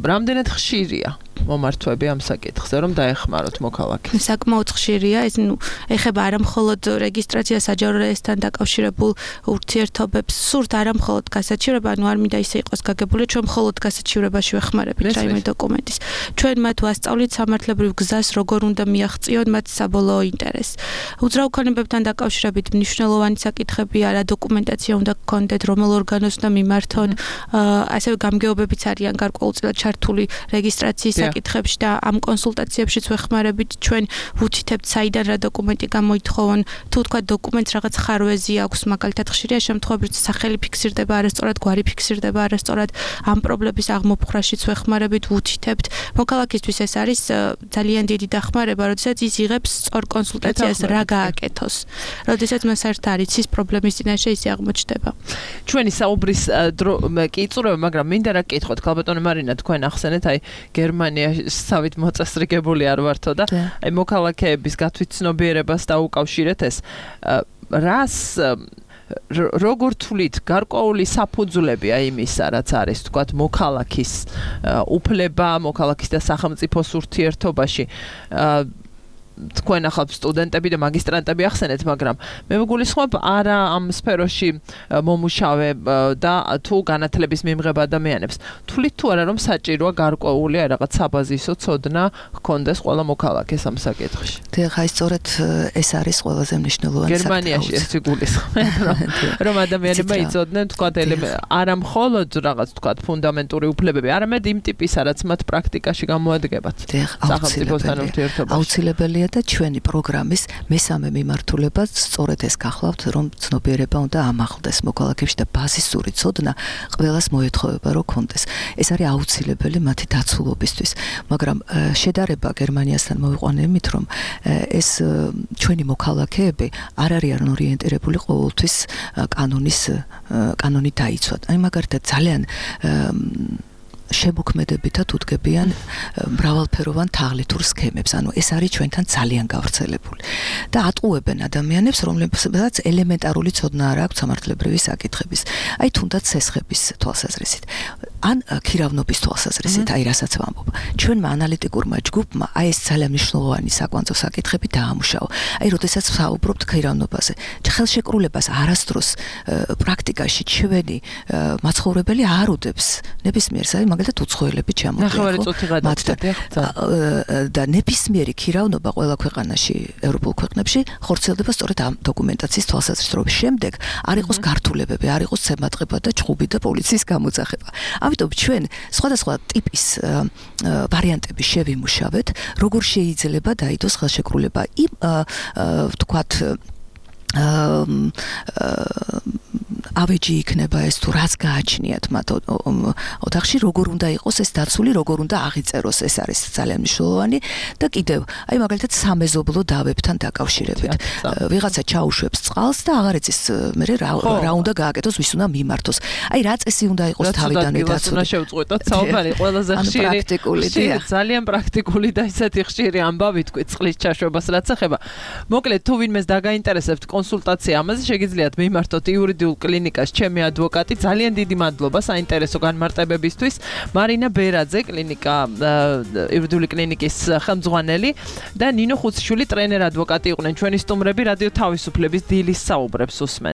რამდენად ხშირია მომართვები ამ საკითხზე, რომ დაეხმაროთ მოქალაქეს? საკმაოდ ხშირია, ეს ნუ ეხება არა მხოლოდ რეგისტრაცია საჯარო რეესტრთან დაკავშირებულ ურთიერთობებს, სურთ არა მხოლოდ გასაჩივრება, ანუ არ მინდა ისე იყოს გაგებული, ჩვენ მხოლოდ გასაჩივრებაში ვეხმარებით რაიმე დოკუმენტის. ჩვენ მათ ვასწავლით სამართლებრივ გზას, როგორ უნდა მიაღწიონ მათ საბოლოო ინტერესს. უძრავ ქონებებთან დაკავშირებით მნიშვნელოვანი საკითხებია, რა დოკუმენტაცია უნდა გქონდეთ, რომელ ორგანოს უნდა მიმართონ, ასევე გამგეობებიც არიან გარკვეულწილად ჩართული რეგისტრაციის საკითხებში და ამ კონსულტაციებშიც ვეხმარებით, ჩვენ ვუთითებთ საიდან რა დოკუმენტი გამოითხოვონ, თუ თქვა დოკუმენტს რაღაც ხარვეზი აქვს, მაგალითად ხშირია შემთხვევები, რომ სახელი ფიქსირდება არასწორად, გვარი ფიქსირდება არასწორად, ამ პრობლემების აღმოფხრაშიც ვეხმარებით, ვუთითებთ. მოქალაქისთვის ეს არის ძალიან დიდი დახმარება, როდესაც ის იღებს სწორ კონსულტაციას რა გააკეთოს. როდესაც მას ერთ არ იცის პრობლემის წინაშე ისე აღმოჩნდება. ჩვენი საუბრის დრო კი იწურება, მაგრამ მინდა რა გკითხოთ, ქალბატონო მარინა, თქვენ ახსენეთ, აი გერმანიასავით მოწესრიგებული არ ვართო და აი მოქალაქეების გათვითცნობიერებას დაუკავშირეთ ეს. რას როგორ თვლით გარკვეული საფუძვლები აი იმისა რაც არის თქვათ მოქალაქის უფლება მოქალაქის და სახელმწიფოს ურთიერთობაში თქვენ ახალ სტუდენტები და მაგისტრანტები ახსენეთ, მაგრამ მე მეგულისხმობ არა ამ სფეროში მომუშავე და თუ განათლების მიმღებ ადამიანებს. თვლით თუ არა რომ საჭიროა გარკვეული აი რაღაც საბაზისო ცოდნა ჰქონდეს ყველა მოქალაქეს ამ საკითხში. დიახ, აი სწორედ ეს არის ყველაზე მნიშვნელოვანი საკითხი. გერმანიაში ეს იგულისხმება, რომ ადამიანებმა იცოდნენ თქვათ არა მხოლოდ რაღაც თქვათ ფუნდამენტური უფლებები, არამედ იმ ტიპისა, რაც მათ პრაქტიკაში გამოადგებათ. სახელმწიფოსთან ურთიერთობაში. აუცილებელია და ჩვენი პროგრამის მესამე მიმართულება სწორედ ეს გახლავთ, რომ ცნობიერება უნდა ამაღლდეს მოქალაქეებში და ბაზისური ცოდნა ყველას მოეთხოვება რომ კონდეს. ეს არის აუცილებელი მათი დაცულობისთვის, მაგრამ შედარება გერმანიასთან მოვიყვანე იმით, რომ ეს ჩვენი მოქალაქეები არ არიან ორიენტირებული ყოველთვის კანონის კანონით დაიცვათ. აი მაგალითად ძალიან შემოქმედებითად უდგებიან მრავალფეროვან თაღლითურ სქემებს. ანუ ეს არის ჩვენთან ძალიან გავრცელებული. და ატყუებენ ადამიანებს, რომლებსაც ელემენტარული ცოდნა არ აქვს სამართლებრივი საკითხების. აი თუნდაც სესხების თვალსაზრისით. ან ქირავნობის თვალსაზრისით, აი რასაც ვამბობ. ჩვენმა ანალიტიკურმა ჯგუფმა აი ეს ძალიან მნიშვნელოვანი საკვანძო საკითხები დაამუშავა. აი როდესაც ვსაუბრობთ ქირავნობაზე, ხელშეკრულებას არასდროს პრაქტიკაში ჩვენი მაცხოვრებელი არ უდებს ნებისმიერს, აი მაგალითად უცხოელები ჩამოდიახო და ნებისმიერი ქირავნობა ყველა ქვეყანაში ევროპულ ქვეყნებში ხორციელდება სწორედ ამ დოკუმენტაციის თვალსაზრისით, რომ შემდეგ არ იყოს გართულებები, არ იყოს ცემატყება და ჩხუბი და პოლიციის გამოძახება. ამიტომ ჩვენ სხვადასხვა ტიპის ვარიანტები შევიმუშავეთ, როგორ შეიძლება დაიდოს ხელშეკრულება იმ ვთქვათ ავეჯი იქნება ეს თუ რაც გააჩნიათ მათ ოთახში, როგორ უნდა იყოს ეს დაცული, როგორ უნდა აღიწეროს, ეს არის ძალიან მნიშვნელოვანი და კიდევ აი მაგალითად სამეზობლო დავებთან დაკავშირებით. ვიღაცა ჩაუშვებს წყალს და აღარ იცის მე რა უნდა გააკეთოს, ვის უნდა მიმართოს. აი რა წესი უნდა იყოს თავიდანვე დაცული. უნდა შევწყვეტოთ საუბარი ყველაზე ხშირი პრაქტიკული და ძალიან პრაქტიკული და ისეთი ხშირი ამბავი თქვი წყლის ჩაშვებას რაც ეხება. მოკლედ თუ ვინმეს დაგაინტერესებთ კონსულტაცია ამაზე შეგიძლიათ მიმართოთ იურიდიულ კლინიკას ჩემი ადვოკატი. ძალიან დიდი მადლობა საინტერესო განმარტებებისთვის. მარინა ბერაძე, კლინიკა იურიდიული კლინიკის ხელმძღვანელი და ნინო ხუციშვილი ტრენერ ადვოკატი იყვნენ ჩვენი სტუმრები რადიო თავისუფლების დილის საუბრებს უსმენ.